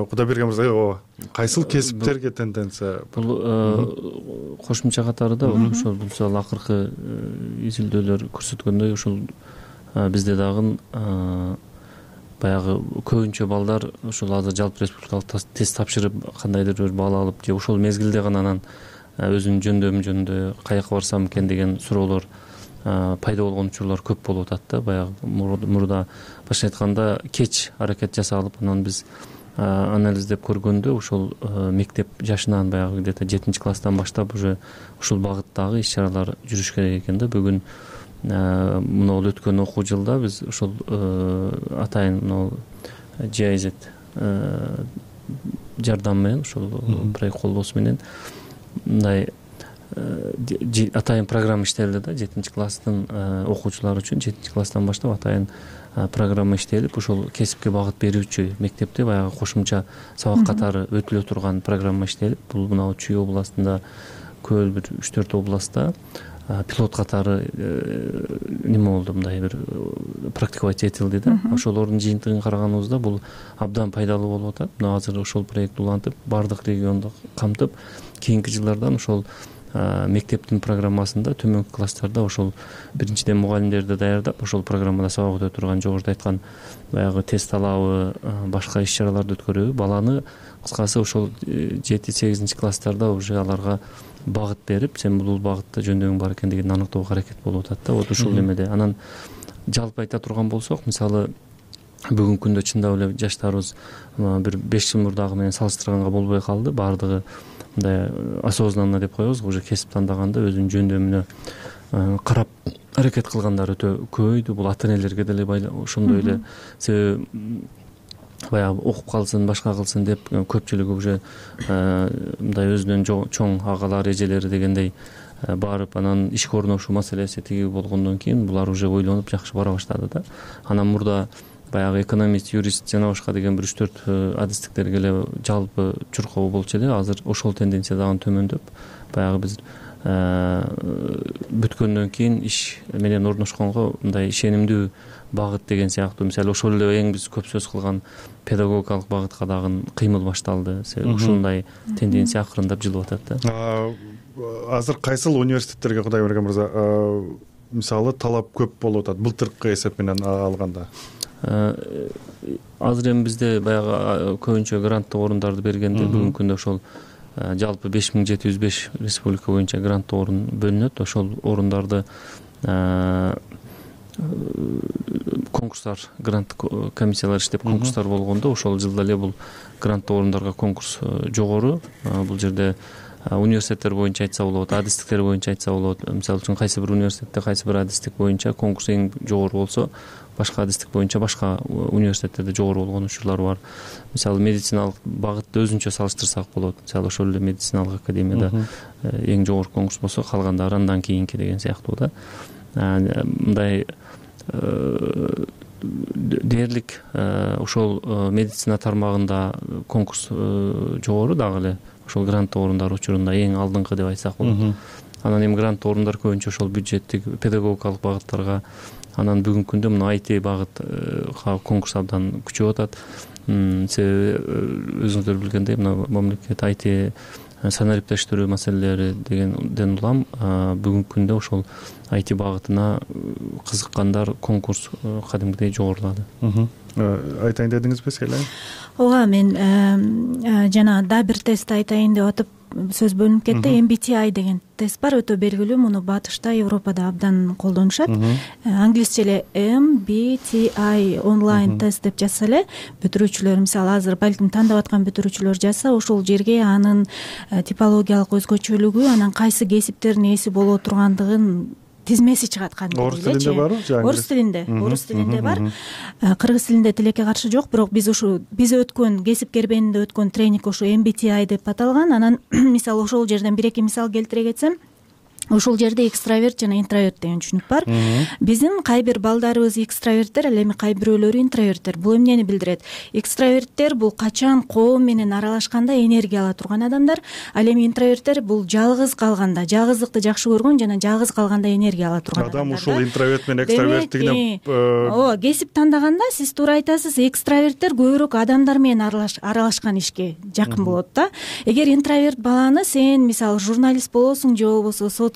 Кудайберген мырза, кайсыл кесиптерге тенденция? Бул кошумча катары да ошол мисалы акыркы изилдөөлөр көрсөткөндөй, ошол бизде дагы баягы көбүнчө балдар ошол азыр жалпы республикалык тест тапшырып, кандайдыр бир баал алып, же ошол мезгилде гана анан өзүнүн жөндөмү жөнүндө каяка барсам экен деген суроолор пайда болгон учурлар көп болуп атат да. Баягы мурда башка айтканда кеч аракет жасалып, анан биз анализдеп көргөндө ошол мектеп жашынан баягы где-то 7 класстан баштап уже ушул багыттагы иш чаралар жүрүш керек экен да. Бүгүн мына өткөн окуу жылда биз ошол атайын GIZ жардам менен ушул проект колдоосу менен мындай атайын программа иштелди да 7-класстын окуучулары үчүн 7-класстан баштап атайын программа иштелип ошол кесипке багыт берүүчү мектепте баягы кошумча сабак катары өтүлө турган программа иштелип бул мына Чүй областында көл бир 3-4 областта пилот катары неме болду, мындай бир практиковать этилди да. Ошолордун жыйынтыгын караганыбызда бул абдан пайдалуу болуп атат. Мына азыр ошол проект улантып баардык регионду камтып кийинки жылдардан ошол мектептин программасында төмөнкү класстарда ошол биринчиден мугалимдерди даярдап ошол программада сабак өтө турган, жогоруда айткан баягы тест алабы, башка иш-чараларды өткөрөбү, баланы кыскасы ошол 7-8 класстарда уже аларга багыт берип, сен бул багытта жөндөмүң бар экендигин аныктоого аракет болуп атат да. Вот ушул немеде. Анан жалпы айта турган болсок, мисалы бүгүнкү күндө чындап эле жаштарыбыз бир 5 жыл мурдагы менен салыштырганга болбой калды. Баардыгы мындай осознанно деп коебуз, уже кесип тандаганда өзүнүн жөндөмүнө карап аракет кылгандар өтө көбөйдү. Бул ата энелерге деле ошондой эле, себеби баягы окуп калсын, башка кылсын деп көпчүлүгү уже мындай өзүнөн чоң агалар, эжелери дегендей барып, анан ишке орношуу маселеси тиги болгондон кийин булар уже ойлонуп жакшы бара баштады да. Анан мурда баягы экономист, юрист жана башка деген бир 3-4 адистиктерге эле жалпы чуркоо болчу эле. Азыр ошол тенденция дагы төмөндөп, баягы биз бүткөндөн кийин иш менен орношконго мындай ишенимдүү багыт деген сыяктуу, мисалы ошол эле эң биз көп сөз кылган педагогикалык багытка дагы кыймыл башталды. Ушундай тенденция акырындап жылып атат да. Азыр кайсыл университеттерге, Кудайберген мырза, мисалы талап көп болуп атат былтыркы эсеп менен алганда? Азыр эми бизде баягы көбүнчө гранттык орундарды бергенде бүгүнкү күндө ошол жалпы 5705 республика боюнча гранттык орун бөлүнөт. Ошол орундарды конкурстар, гранттык комиссиялар иштеп конкурстар болгондо ошол жылда эле бул гранттык орундарга конкурс жогору. Бул жерде университеттер боюнча айтса болот, адистиктер боюнча айтса болот. Мисалы үчүн кайсы бир университетте кайсы бир адистик боюнча конкурс эң жогору болсо, башка адистик боюнча башка университеттерде жогору болгон учурлар бар. Мисалы медициналык багытты өзүнчө салыштырсак болот. Мисалы ошол эле медициналык академияда эң жогору конкурс болсо, калгандары андан кийинки деген сыяктуу да. Мындай дээрлик ошол медицина тармагында конкурс жогору дагы эле ошол гранттык орундар учурунда эң алдыңкы деп айтсак болот. Анан эми гранттык орундар көбүнчө ошол бюджеттик педагогикалык багыттарга, анан бүгүнкү күндө мына IT багытка конкурс абдан күчөп атат. Себеби өзүңүздөр билгендей, мына мамлекет IT санариптештирүү маселелери дегенден улам бүгүнкү күндө ошол IT багытына кызыккандар конкурс кадимгидей жогорулады. Айтайын дедиңизби Селе? Ооба, мен жана да бир тест айтайын деп атып сөз бөлүнүп кетти. MBTI деген тест бар, өтө белгилүү. Муну батышта, Европада абдан колдонушат. Англисче эле MBTI онлайн тест деп жазса эле, бүтүрүүчүлөр, мисалы азыр балким тандап аткан бүтүрүүчүлөр жазса, ошол жерге анын типологиялык өзгөчөлүгү, анан кайсы кесиптердин ээси боло тургандыгын тизмеси чыгат кадимги. Орус тилинде барбы? Орус тилинде бар. Кыргыз тилинде тилекке каршы жок, бирок биз өткөн кесип кербенинде өткөн тренинг ошо MBTI деп аталган. Анан мисалы ошол жерден 1-2 мисал келтире кетсем, ошол жерде экстраверт жана интроверт деген түшүнүк бар. Биздин кай бир балдарыбыз экстраверттер, ал эми кай бирөөлөрү интроверттер. Бул эмнени билдирет? Экстраверттер бул качан коом менен аралашканда энергия ала турган адамдар, ал эми интроверттер бул жалгыз калганда, жалгыздыкты жакшы көргөн жана жалгыз калганда энергия ала турган адамдар. Адам ушул интроверт менен экстраверттигине ооба, кесип тандаганда сиз туура айтасыз, экстраверттер көбүрөөк адамдар менен аралашкан ишке жакын болот да. Эгер интроверт баланы сен мисалы журналист болосуң же болбосо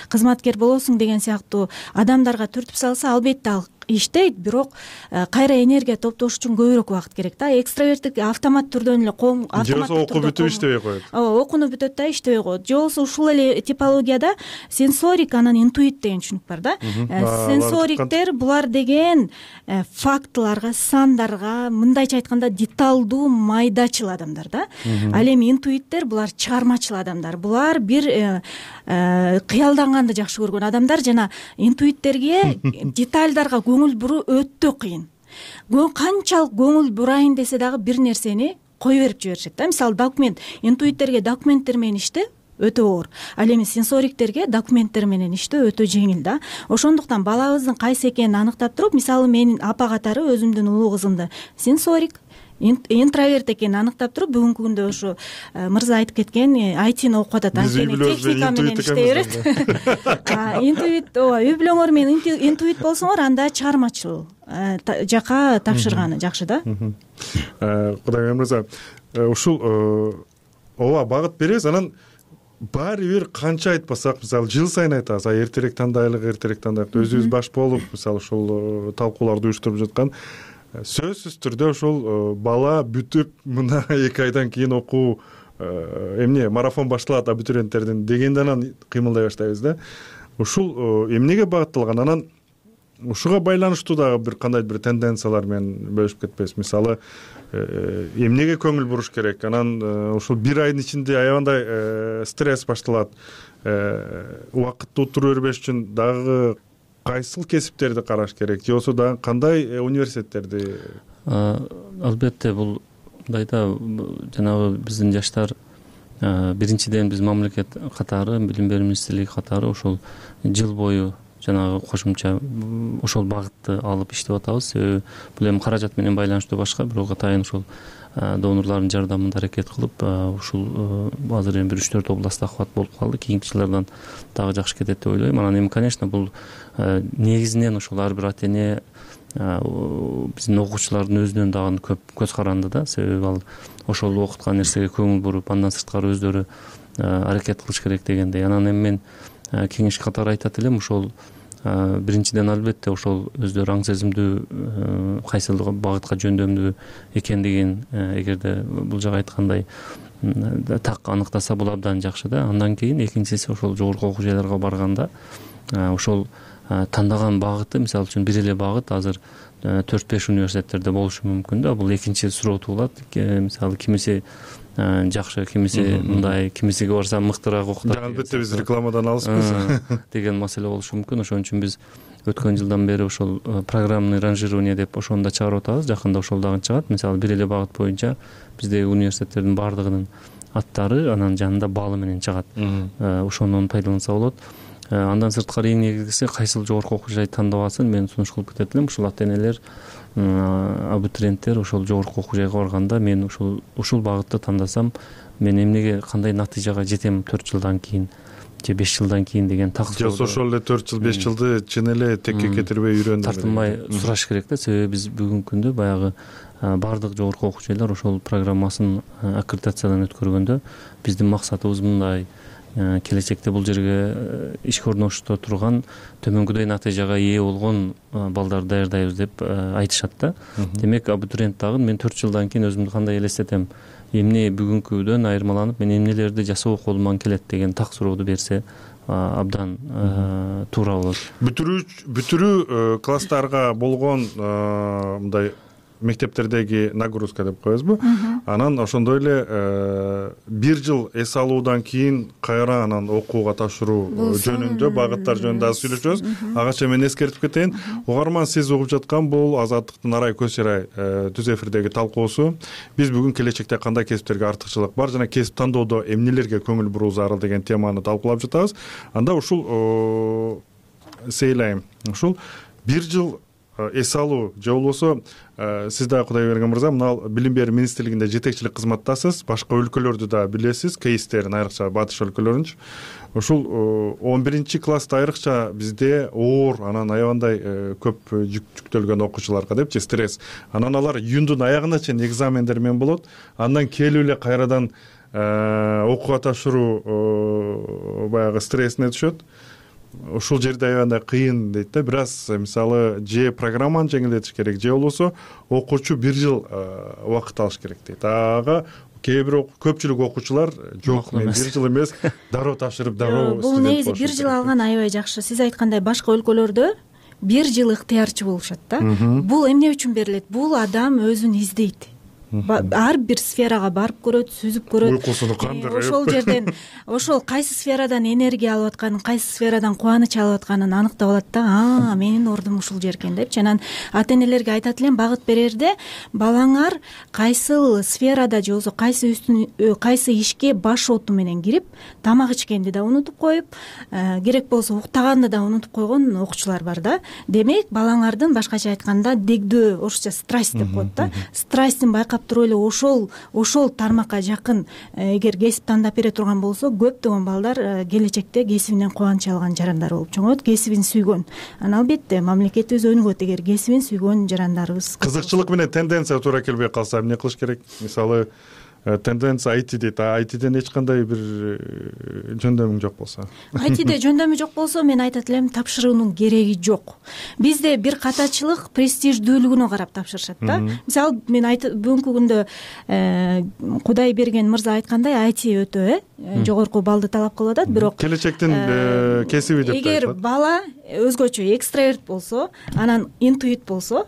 кызматкер болосуң деген сыяктуу адамдарга түртүп салса, албетте ал иштейт, бирок кайра энергия топтош үчүн көбүрөөк убакыт керек да. Экстраверттик автомат түрдөн эле окуу бүтүп иштебей коет. Ооба, окууну бүтөт да, иштебей коет. Же болбосо ушул эле типологияда сенсорик анан интуит деген түшүнүк бар да. Сенсориктер булар деген фактыларга, сандарга, мындайча айтканда деталдуу, майдачыл адамдар да. Ал эми интуиттер булар чыгармачыл адамдар. Булар бир кыялданганды жакшы көргөн адамдар жана интуиттерге детальдарга көңүл буруу өтө кыйын. Канчалык көңүл бурайын десе дагы бир нерсени кое берип жиберишет да. Мисалы документ, интуиттерге документтер менен иштөө өтө оор, ал эми сенсориктерге документтер менен иштөө өтө жеңил да. Ошондуктан балабыздын кайсы экенин аныктап туруп, мисалы менин апа катары өзүмдүн улуу кызымды сенсорик, интроверт экенин аныктап туруп, бүгүнкү күндө ошо мырза айтып кеткен айтини окуп атат, анткени техника менен иштей берет. Интуит, ооба, үй бүлөңөр менен интуит болсоңор, анда чыгармачыл жака тапшырганы жакшы да. Кудайбек мырза, ушул ооба багыт беребиз, анан баары бир канча айтпасак, мисалы жыл сайын айтабыз, эртерээк тандайлык, өзүбүз баш болуп, мисалы ушул талкууларды уюштуруп жаткан, сөзсүз түрдө ушул бала бүтүп мына 2 айдан кийин окуу эмне марафон башталат абитуриенттердин дегенде анан кыймылдай баштайбыз да. Ушул эмнеге багытталган, анан ушуга байланыштуу дагы бир кандайдыр бир тенденциялар менен бөлүшүп кетпейсиз? Мисалы эмнеге көңүл буруш керек, анан ушул 1 айдын ичинде аябандай стресс башталат, убакытты утура бербеш үчүн дагы кайсыл кесиптерди караш керек, же болбосо дагы кандай университеттерди? Албетте бул мындайда жанагы биздин жаштар биринчиден биз мамлекет катары, билим берүү министрлиги катары ошол жыл бою жанагы кошумча ошол багытты алып иштеп атабыз. Себеби бул эми каражат менен байланыштуу башка, бирок атайын ошол донорлордун жардамында аракет кылып, ушул азыр эми 1-4 областта охват болуп калды. Кийинки жылдардан дагы жакшы кетет деп ойлойм. Анан эми, конечно, бул негизинен ошол ар бир ата эне, биздин окуучулардын өзүнөн дагы көп көз каранды да. Себеби ал ошол окуткан нерсеге көңүл буруп, андан сырткары өздөрү аракет кылыш керек дегендей. Анан эми мен кеңеш катары айтат элем, ошол биринчиден албетте ошол өздөрү аң сезимдүү кайсыл багытка жөндөмдүү экендигин эгерде бул жагы айткандай так аныктаса бул абдан жакшы да. Андан кийин экинчиси ошол жогорку окуу жайларга барганда ошол тандаган багыты, мисалы үчүн бир эле багыт азыр 4-5 университеттерде болушу мүмкүн да. Бул экинчи суроо туулат. Мисалы кимиси жакшы, кимиси мындай, кимисиге барса мыктыраак окутат. Албетте биз рекламадан алыспыз деген маселе болушу мүмкүн. Ошон үчүн биз өткөн жылдан бери ошол программный ранжирование деп ошону да чыгарып атабыз. Жакында ошол дагы чыгат. Мисалы бир эле багыт боюнча биздеги университеттердин баардыгынын аттары анан жанында баалы менен чыгат. Ошондон пайдаланса болот. Андан сырткары эң негизгиси кайсыл жогорку окуу жай тандап алсын, мен сунуш кылып кетет элем. Ушул ата энелер, абитуриенттер ошол жогорку окуу жайга барганда мен ушул багытты тандасам, мен эмнеге, кандай натыйжага жетем 4 жылдан кийин же 5 жылдан кийин деген так суроо. Же ошол эле 4 жыл 5 жылды чын эле текке кетирбей үйрөндүм. Тартынбай сураш керек да. Себеби биз бүгүнкү күндө баягы баардык жогорку окуу жайлар ошол программасын аккредитациядан өткөргөндө биздин максатыбыз мындай: келечекте бул жерге ишке орношто турган төмөнгүдөй натыйжага ээ болгон балдарды даярдайбыз деп айтышат да. Демек абитуриент дагы мен 4 жылдан кийин өзүмдү кандай элестетем, эмне бүгүнкүдөн айырмаланып мен эмнелерди жасоо колуман келет деген так сурооду берсе абдан туура болот. Бүтүрүү класстарга болгон мындай мектептердеги нагрузка деп коебузбу? Анан ошондой эле 1 жыл эс алуудан кийин кайра анан окууга тапшыруу жөнүндө, багыттар жөнүндө аз сүйлөшөбүз. Агача мен эскертип кетейин. Угарман, сиз угуп жаткан бул Азаттыктын Арай көз чарай түз эфирдеги талкуусу. Биз бүгүн келечекте кандай кесиптерге артыкчылык бар жана кесип тандоодо эмнелерге көңүл буруу зарыл деген теманы талкуулап жатабыз. Анда ушул сейлайм, ушул 1 жыл эс алуу же болбосо сиз да Кудайберген мырза мына билим берүү министрлигинде жетекчилик кызматтасыз, башка өлкөлөрдү да билесиз, кейстерин, айрыкча батыш өлкөлөрүнчү. Ушул 11-класста айрыкча бизде оор, анан аябандай көп жүктөлгөн окуучуларга депчи стресс. Анан алар июндун аягына чейин экзамендер менен болот. Андан келип эле кайрадан окууга тапшыруу баягы стрессине түшөт. Ушул жерде аябандай кыйын дейт да. Бир аз мисалы же программаны жеңилдетиш керек, же болбосо окуучу 1 жыл убакыт алыш керек дейт. Ага кээ бир көпчүлүк окуучулар жок, мен 1 жыл эмес, дароо тапшырып, дароо бул негизи 1 жыл алган аябай жакшы. Сиз айткандай башка өлкөлөрдө 1 жыл ыктыярчы болушат да. Бул эмне үчүн берилет? Бул адам өзүн издейт. ар бир сферага барып көрөт, сүзүп көрөт. Уйкусуну кандырып. Ошол жерден ошол кайсы сферадан энергия алып атканын, кайсы сферадан кубаныч алып атканын аныктап алат да. Менин ордум ушул жер экен депчи. Анан ата энелерге айтат элем, багыт берерде балаңар кайсыл сферада же болбосо кайсы ишке баш оту менен кирип, тамак ичкенди да унутуп коюп, керек болсо уктаганды да унутуп койгон окуучулар бар да. Демек, балаңардын башкача айтканда дегдөө, орусча страсть деп коет да. Страстин байкап туруп эле ошол тармакка жакын эгер кесип тандап бере турган болсо, көптөгөн балдар келечекте кесибинен кубаныч алган жарандар болуп чоңойт, кесибин сүйгөн. Анан албетте мамлекетибиз өнүгөт эгер кесибин сүйгөн жарандарыбыз. Кызыкчылык менен тенденция туура келбей калса эмне кылыш керек? Мисалы, тенденция IT дейт. ITден эч кандай бир жөндөмүң жок болсо. ITде жөндөмү жок болсо, мен айтат элем, тапшыруунун кереги жок. Бизде бир катачылык престиждүүлүгүнө карап тапшырышат да. Мисалы, мен бүгүнкү күндө Кудайберген мырза айткандай, IT өтө жогорку баллды талап кылып атат, бирок келечектин кесиби деп айтат. Эгер бала өзгөчө экстраверт болсо, анан интуит болсо,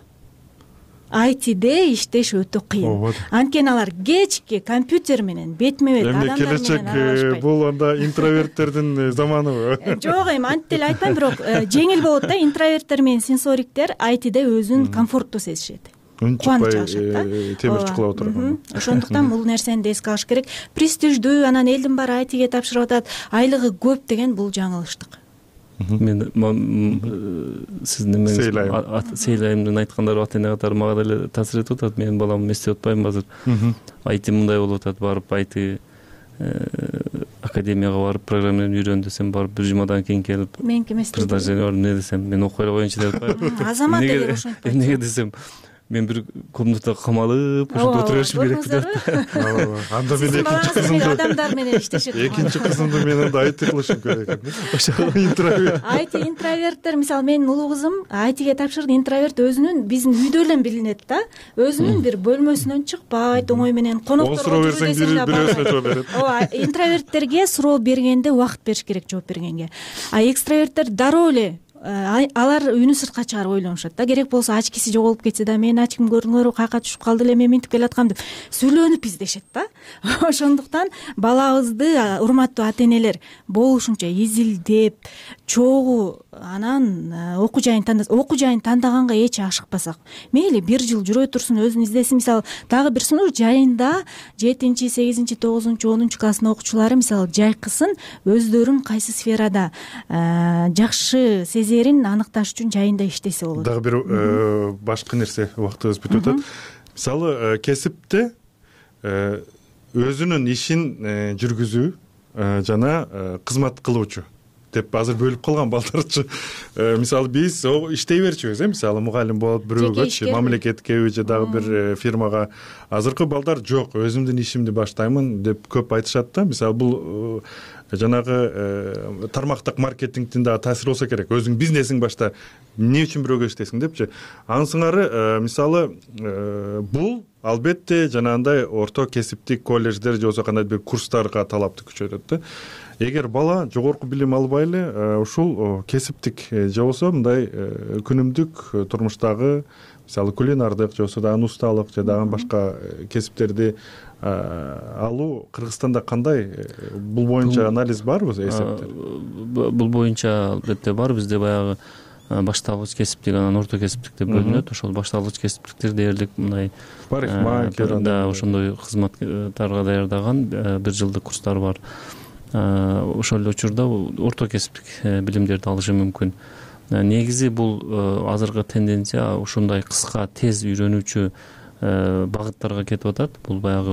ITде иштеш өтө кыйын. Анткени алар кечки компьютер менен бетме бет адамдар менен аралашпайт. Келечек бул анда интроверттердин заманыбы? Жок, эми антип деле айтпайм, бирок жеңил болот да. Интроверттер менен сенсориктер ITде өзүн комфорттуу сезишет. Кубаныч алышат да. Темир чукулап отурган. Ошондуктан бул нерсени да эске алыш керек. Престиждүү, анан элдин баары ITге тапшырып атат, айлыгы көп деген бул жаңылыштык. Мен сиздин сейлайымдын айткандары ата эне катары мага деле таасир этип атат. Менин балам эстеп атпайм азыр. IT мындай болуп атат, барып IT академияга барып программаны үйрөн десем, барып бир жумадан кийин келип предложение бар, эмне десем, мен окуй эле коеюнчу деп атпайбы. Азамат эгер ошентип эмнеге десем, мен бир комнатага камалып ошондо отура беришим керек деп. Анда мен экинчи кызымды адамдар менен иштешет. Экинчи кызымды мен анда IT кылышым керек экен. Ошол интроверт. IT интроверттер, мисалы менин улуу кызым ITге тапшырды. Интроверт өзүнүн биздин үйдө эле билинет да. Өзүнүн бир бөлмөсүнөн чыкпайт, оңой менен конокторго суроо берсең бирөөсүнө жооп берет. Ооба, интроверттерге суроо бергенде убакыт бериш керек жооп бергенге. А экстраверттер дароо эле алар үнү сыртка чыгарып ойлонушат да. Керек болсо ачкиси жоголуп кетсе да, мен ачким көрдүңөрбү, каяка түшүп калды эле, мен минтип келаткам деп сүйлөнүп издешет да. Ошондуктан балабызды, урматтуу ата энелер, болушунча изилдеп, чогуу анан окуу жайын тандаганга эч ашыкпасак. Мейли бир жыл жүрө турсун, өзүн издесин. Мисалы, дагы бир сунуш, жайында 7-чи, 8-чи, 9-чу, 10-чу класстын окуучулары мисалы жайкысын өздөрүн кайсы сферада жакшы сезерин аныкташ үчүн жайында иштесе болот. Дагы бир башка нерсе, убактыбыз бүтүп атат. Мисалы, кесипте өзүнүн ишин жүргүзүү жана кызмат кылуучу деп азыр бөлүп калган балдарчы. Мисалы, биз иштей берчүбүз, мисалы мугалим болот бирөөгөчү, мамлекеткеби же дагы бир фирмага. Азыркы балдар жок, өзүмдүн ишимди баштаймын деп көп айтышат да. Мисалы, бул жанагы тармактык маркетингдин дагы таасири болсо керек. Өзүң бизнесиң башта, эмне үчүн бирөөгө иштейсиң депчи. Анын сыңары, мисалы, бул албетте жанагындай орто кесиптик колледждер же болбосо кандайдыр бир курстарга талапты күчөтөт да. Эгер бала жогорку билим албай эле ушул кесиптик же болбосо мындай күнүмдүк турмуштагы, мисалы, кулинардык же болбосо дагы усталык же дагы башка кесиптерди алуу Кыргызстанда кандай? Бул боюнча анализ барбы, эсептер? Бул боюнча албетте бар. Бизде баягы башталгыч кесиптик, анан орто кесиптик деп бөлүнөт. Ошол башталгыч кесиптиктер дээрлик мындай парикмахер, ошондой кызматтарга даярдаган бир жылдык курстар бар. Ошол эле учурда орто кесиптик билимдерди алышы мүмкүн. Негизи бул азыркы тенденция ушундай кыска, тез үйрөнүүчү багыттарга кетип атат. Бул баягы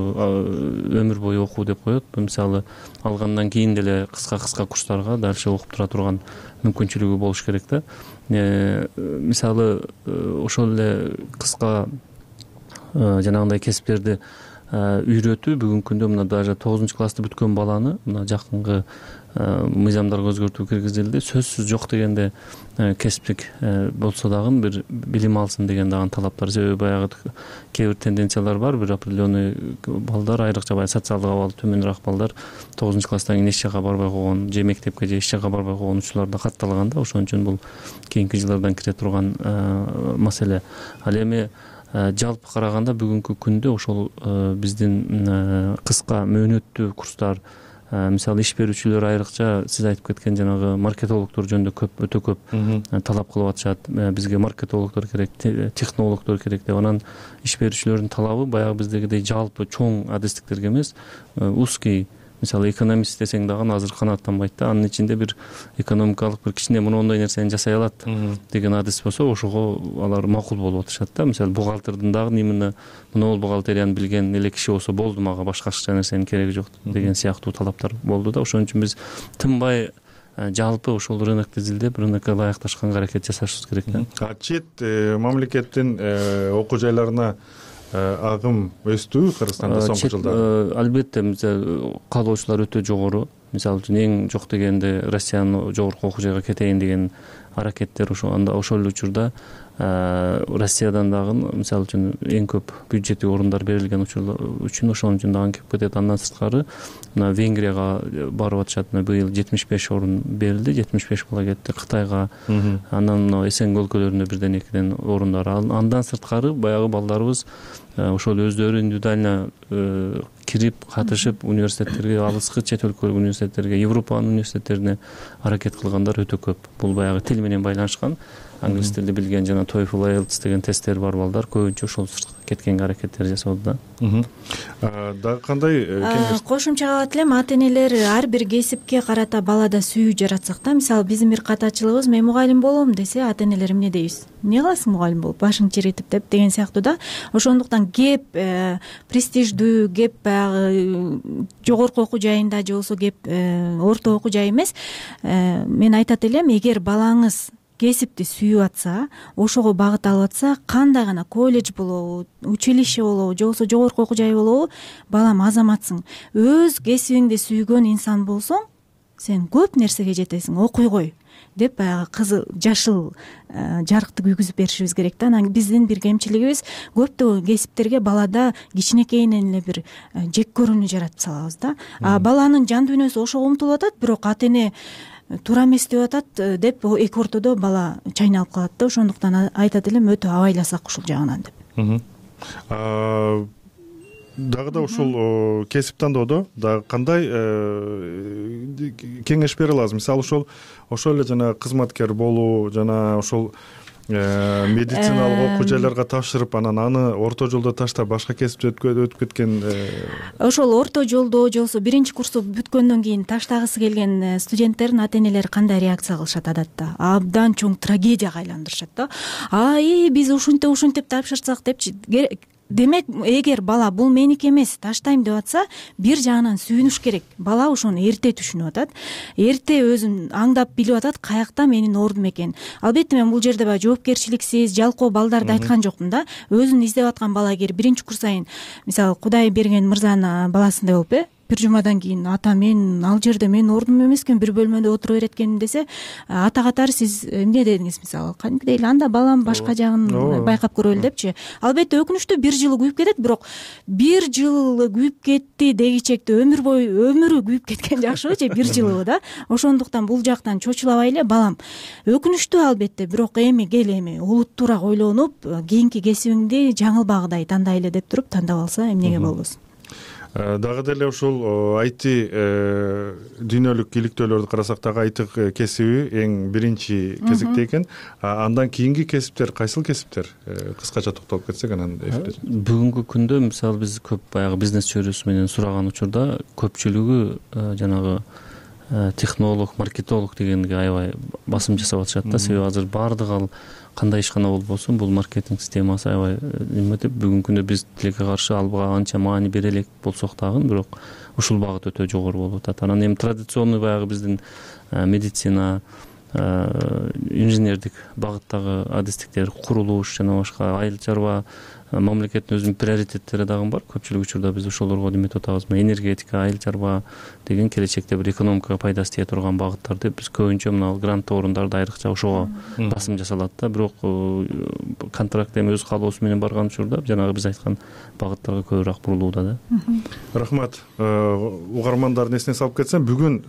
өмүр бою окуу деп коет. Мисалы, алгандан кийин деле кыска курстарга дальше окуп тура турган мүмкүнчүлүгү болуш керек да. Мисалы, ошол эле кыска жанагындай кесиптерди үйрөтүү бүгүнкү күндө мына даже 9-чу классты бүткөн баланы мына жакынкы мыйзамдарга өзгөртүү киргизилди. Сөзсүз жок дегенде кесиптик болсо дагы бир билим алсын деген дагы талаптар. Себеби баягы кээ бир тенденциялар бар. Бир определенный балдар, айрыкча баягы социалдык абалы төмөнүрөөк балдар 9-чу класстан кийин эч жака барбай койгон, же мектепке же эч жака барбай койгон учурлар да катталган да. Ошон үчүн бул кийинки жылдардан кире турган маселе. Ал эми жалпы караганда бүгүнкү күндө ошол биздин кыска мөөнөттүү курстар, мисалы иш берүүчүлөр айрыкча сиз айтып кеткен жанагы маркетологдор жөнүндө өтө көп талап кылып атышат. Бизге маркетологдор керек, технологдор керек деп. Анан иш берүүчүлөрдүн талабы баягы биздегидей жалпы чоң адистиктерге эмес, узкий, мисалы экономист десең дагы азыр канааттанбайт да. Анын ичинде бир экономикалык бир кичине мондой нерсени жасай алат деген адис болсо, ошого алар макул болуп атышат да. Мисалы бухгалтердин дагы именно монол бухгалтерияны билген эле киши болсо болду, мага башка нерсенин кереги жок деген сыяктуу талаптар болду да. Ошон үчүн биз тынбай жалпы ошол рынокду изилдеп, рынокко ылайыкташканга аракет жасашыбыз керек да. Чет мамлекеттин окуу жайларына агым өстүбү Кыргызстанда соңку жылдары? Албетте, каалоочулар өтө жогору. Мисалы үчүн эң жок дегенде Россиянын жогорку окуу жайга кетейин деген аракеттер ошол учурда Россиядан дагы мисалы үчүн эң көп бюджеттик орундар берилген үчүн ошон үчүн дагы кеп кетет. Андан сырткары мына Венгрияга барып атышат. Быйыл 75 орун берилди, 75 бала кетти. Кытайга, анан мына СНГ өлкөлөрүндө бирден экиден орундар. Андан сырткары баягы балдарыбыз ошол өздөрү индивидуально кирип катышып университеттерге, алыскы чет өлкөлүк университеттерге, Европанын университеттерине аракет кылгандар өтө көп. Бул баягы тил менен байланышкан, англис тилди билген жана TOEFL, IELTS деген тесттер бар балдар көбүнчө ошол сыртка кеткенге аракеттер жасоодо да. Дагы кандай кеңеш? Кошумча кылат элем, ата энелер ар бир кесипке карата балада сүйүү жаратсак да. Мисалы биздин бир катачылыгыбыз, мен мугалим болом десе, ата энелер эмне дейбиз? Эмне кыласың мугалим болуп, башың чиритип деп деген сыяктуу да. Ошондуктан кеп престиждүү, кеп баягы жогорку окуу жайында же болбосо кеп орто окуу жай эмес. Мен айтат элем, эгер балаңыз кесипти сүйүп атса, ошого багыт алып атса, кандай гана колледж болобу, училище болобу, же болбосо жогорку окуу жай болобу, балам азаматсың. Өз кесибиңди сүйгөн инсан болсоң, сен көп нерсеге жетесиң, окуй кой деп баягы кызыл, жашыл жарыкты күйгүзүп беришибиз керек да. Анан биздин бир кемчилигибиз, көптөгөн кесиптерге балада кичинекейинен эле бир жек көрүүнү жаратып салабыз да. Баланын жан дүйнөсү ошого умтулуп атат, бирок ата эне туура эмес деп атат деп эки ортодо бала чайналып калат да. Ошондуктан айтат элем, өтө абайласак ушул жагынан деп. Дагы да ушул кесип тандоодо дагы кандай кеңеш бере аласыз? Мисалы ошол эле жана кызматкер болуу, жана ошол медициналык окуу жайларга тапшырып, анан аны орто жолдо таштап башка кесипте өтүп кеткен ошол орто жолдо же болбосо биринчи курсту бүткөндөн кийин таштагысы келген студенттердин ата энелери кандай реакция кылышат адатта? Абдан чоң трагедияга айландырышат да. Биз ушинтип тапшырсак депчи. Демек, эгер бала бул меники эмес, таштайм деп атса, бир жагынан сүйүнүш керек. Бала ошону эрте түшүнүп атат, эрте өзүн аңдап билип атат, каякта менин ордум экен. Албетте мен бул жерде баягы жоопкерчиликсиз, жалкоо балдарды айткан жокмун да. Өзүн издеп аткан бала эгер биринчи курс айын, мисалы Кудай берген мырзанын баласындай болуп, бир жумадан кийин ата мен ал жерде менин ордум эмес экен, бир бөлмөдө отура берет экенмин десе, ата катары сиз эмне дедиңиз? Мисалы кадимкидей эле анда балам башка жагын байкап көрөлү депчи. Албетте өкүнүчтүү, бир жылы күйүп кетет, бирок бир жыл күйүп кетти дегичекте өмүрү күйүп кеткен жакшыбы же бир жылыбы да. Ошондуктан бул жактан чочулабай эле, балам өкүнүчтүү албетте, бирок эми кел, эми олуттуураак ойлонуп, кийинки кесибиңди жаңылбагыдай тандай эле деп туруп тандап алса эмнеге болбосун. Дагы деле ушул IT дүйнөлүк иликтөөлөрдү карасак дагы IT кесиби эң биринчи кезекте экен. Андан кийинки кесиптер кайсыл кесиптер? Кыскача токтолуп кетсек анан. Бүгүнкү күндө мисалы биз көп баягы бизнес чөйрөсү менен сураган учурда көпчүлүгү жанагы технолог, маркетолог дегенге аябай басым жасап атышат да. Себеби азыр баардык ал кандай ишкана болбосун, бул маркетинг системасы аябай эметип, бүгүнкү күндө биз тилекке каршы албага анча маани бере элек болсок дагы, бирок ушул багыт өтө жогору болуп атат. Анан эми традиционный баягы биздин медицина, инженердик багыттагы адистиктер, курулуш жана башка айыл чарба, мамлекеттин өзүнүн приоритеттери дагы бар. Көпчүлүк учурда биз ошолорго эметип атабыз. Энергетика, айыл чарба деген келечекте бир экономикага пайдасы тие турган багыттар деп биз көбүнчө мына гранттуу орундарда айрыкча ошого басым жасалат да. Бирок контракт эми өз каалоосу менен барган учурда жанагы биз айткан багыттарга көбүрөөк бурулууда да. Рахмат. Угармандардын эсине салып кетсем, бүгүн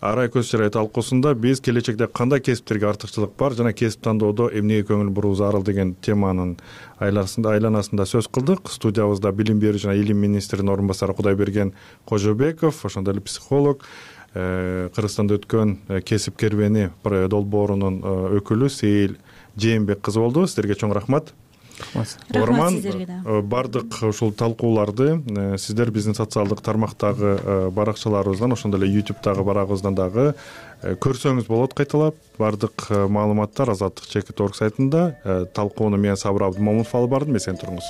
арай көз чырай талкуусунда биз келечекте кандай кесиптерге артыкчылык бар жана кесип тандоодо эмнеге көңүл буруу зарыл деген теманын айланасында сөз кылдык. Студиябызда билим берүү жана илим министринин орун басары Кудайберген Кожобеков, ошондой эле психолог, Кыргызстанда өткөн кесип кербени долбоорунун өкүлү Сейил Жээнбек кызы болду. Сиздерге чоң рахмат. Рахмат сиздерге да. Бардык ушул талкууларды сиздер биздин социалдык тармактагы баракчаларыбыздан, ошондой эле YouTube'дагы барагыбыздан дагы көрсөңүз болот. Кайталап бардык маалыматтар Азаттык.org сайтында. Талкууну мен Сабыр Абдымомунов алып бардым. Эсен туруңуз.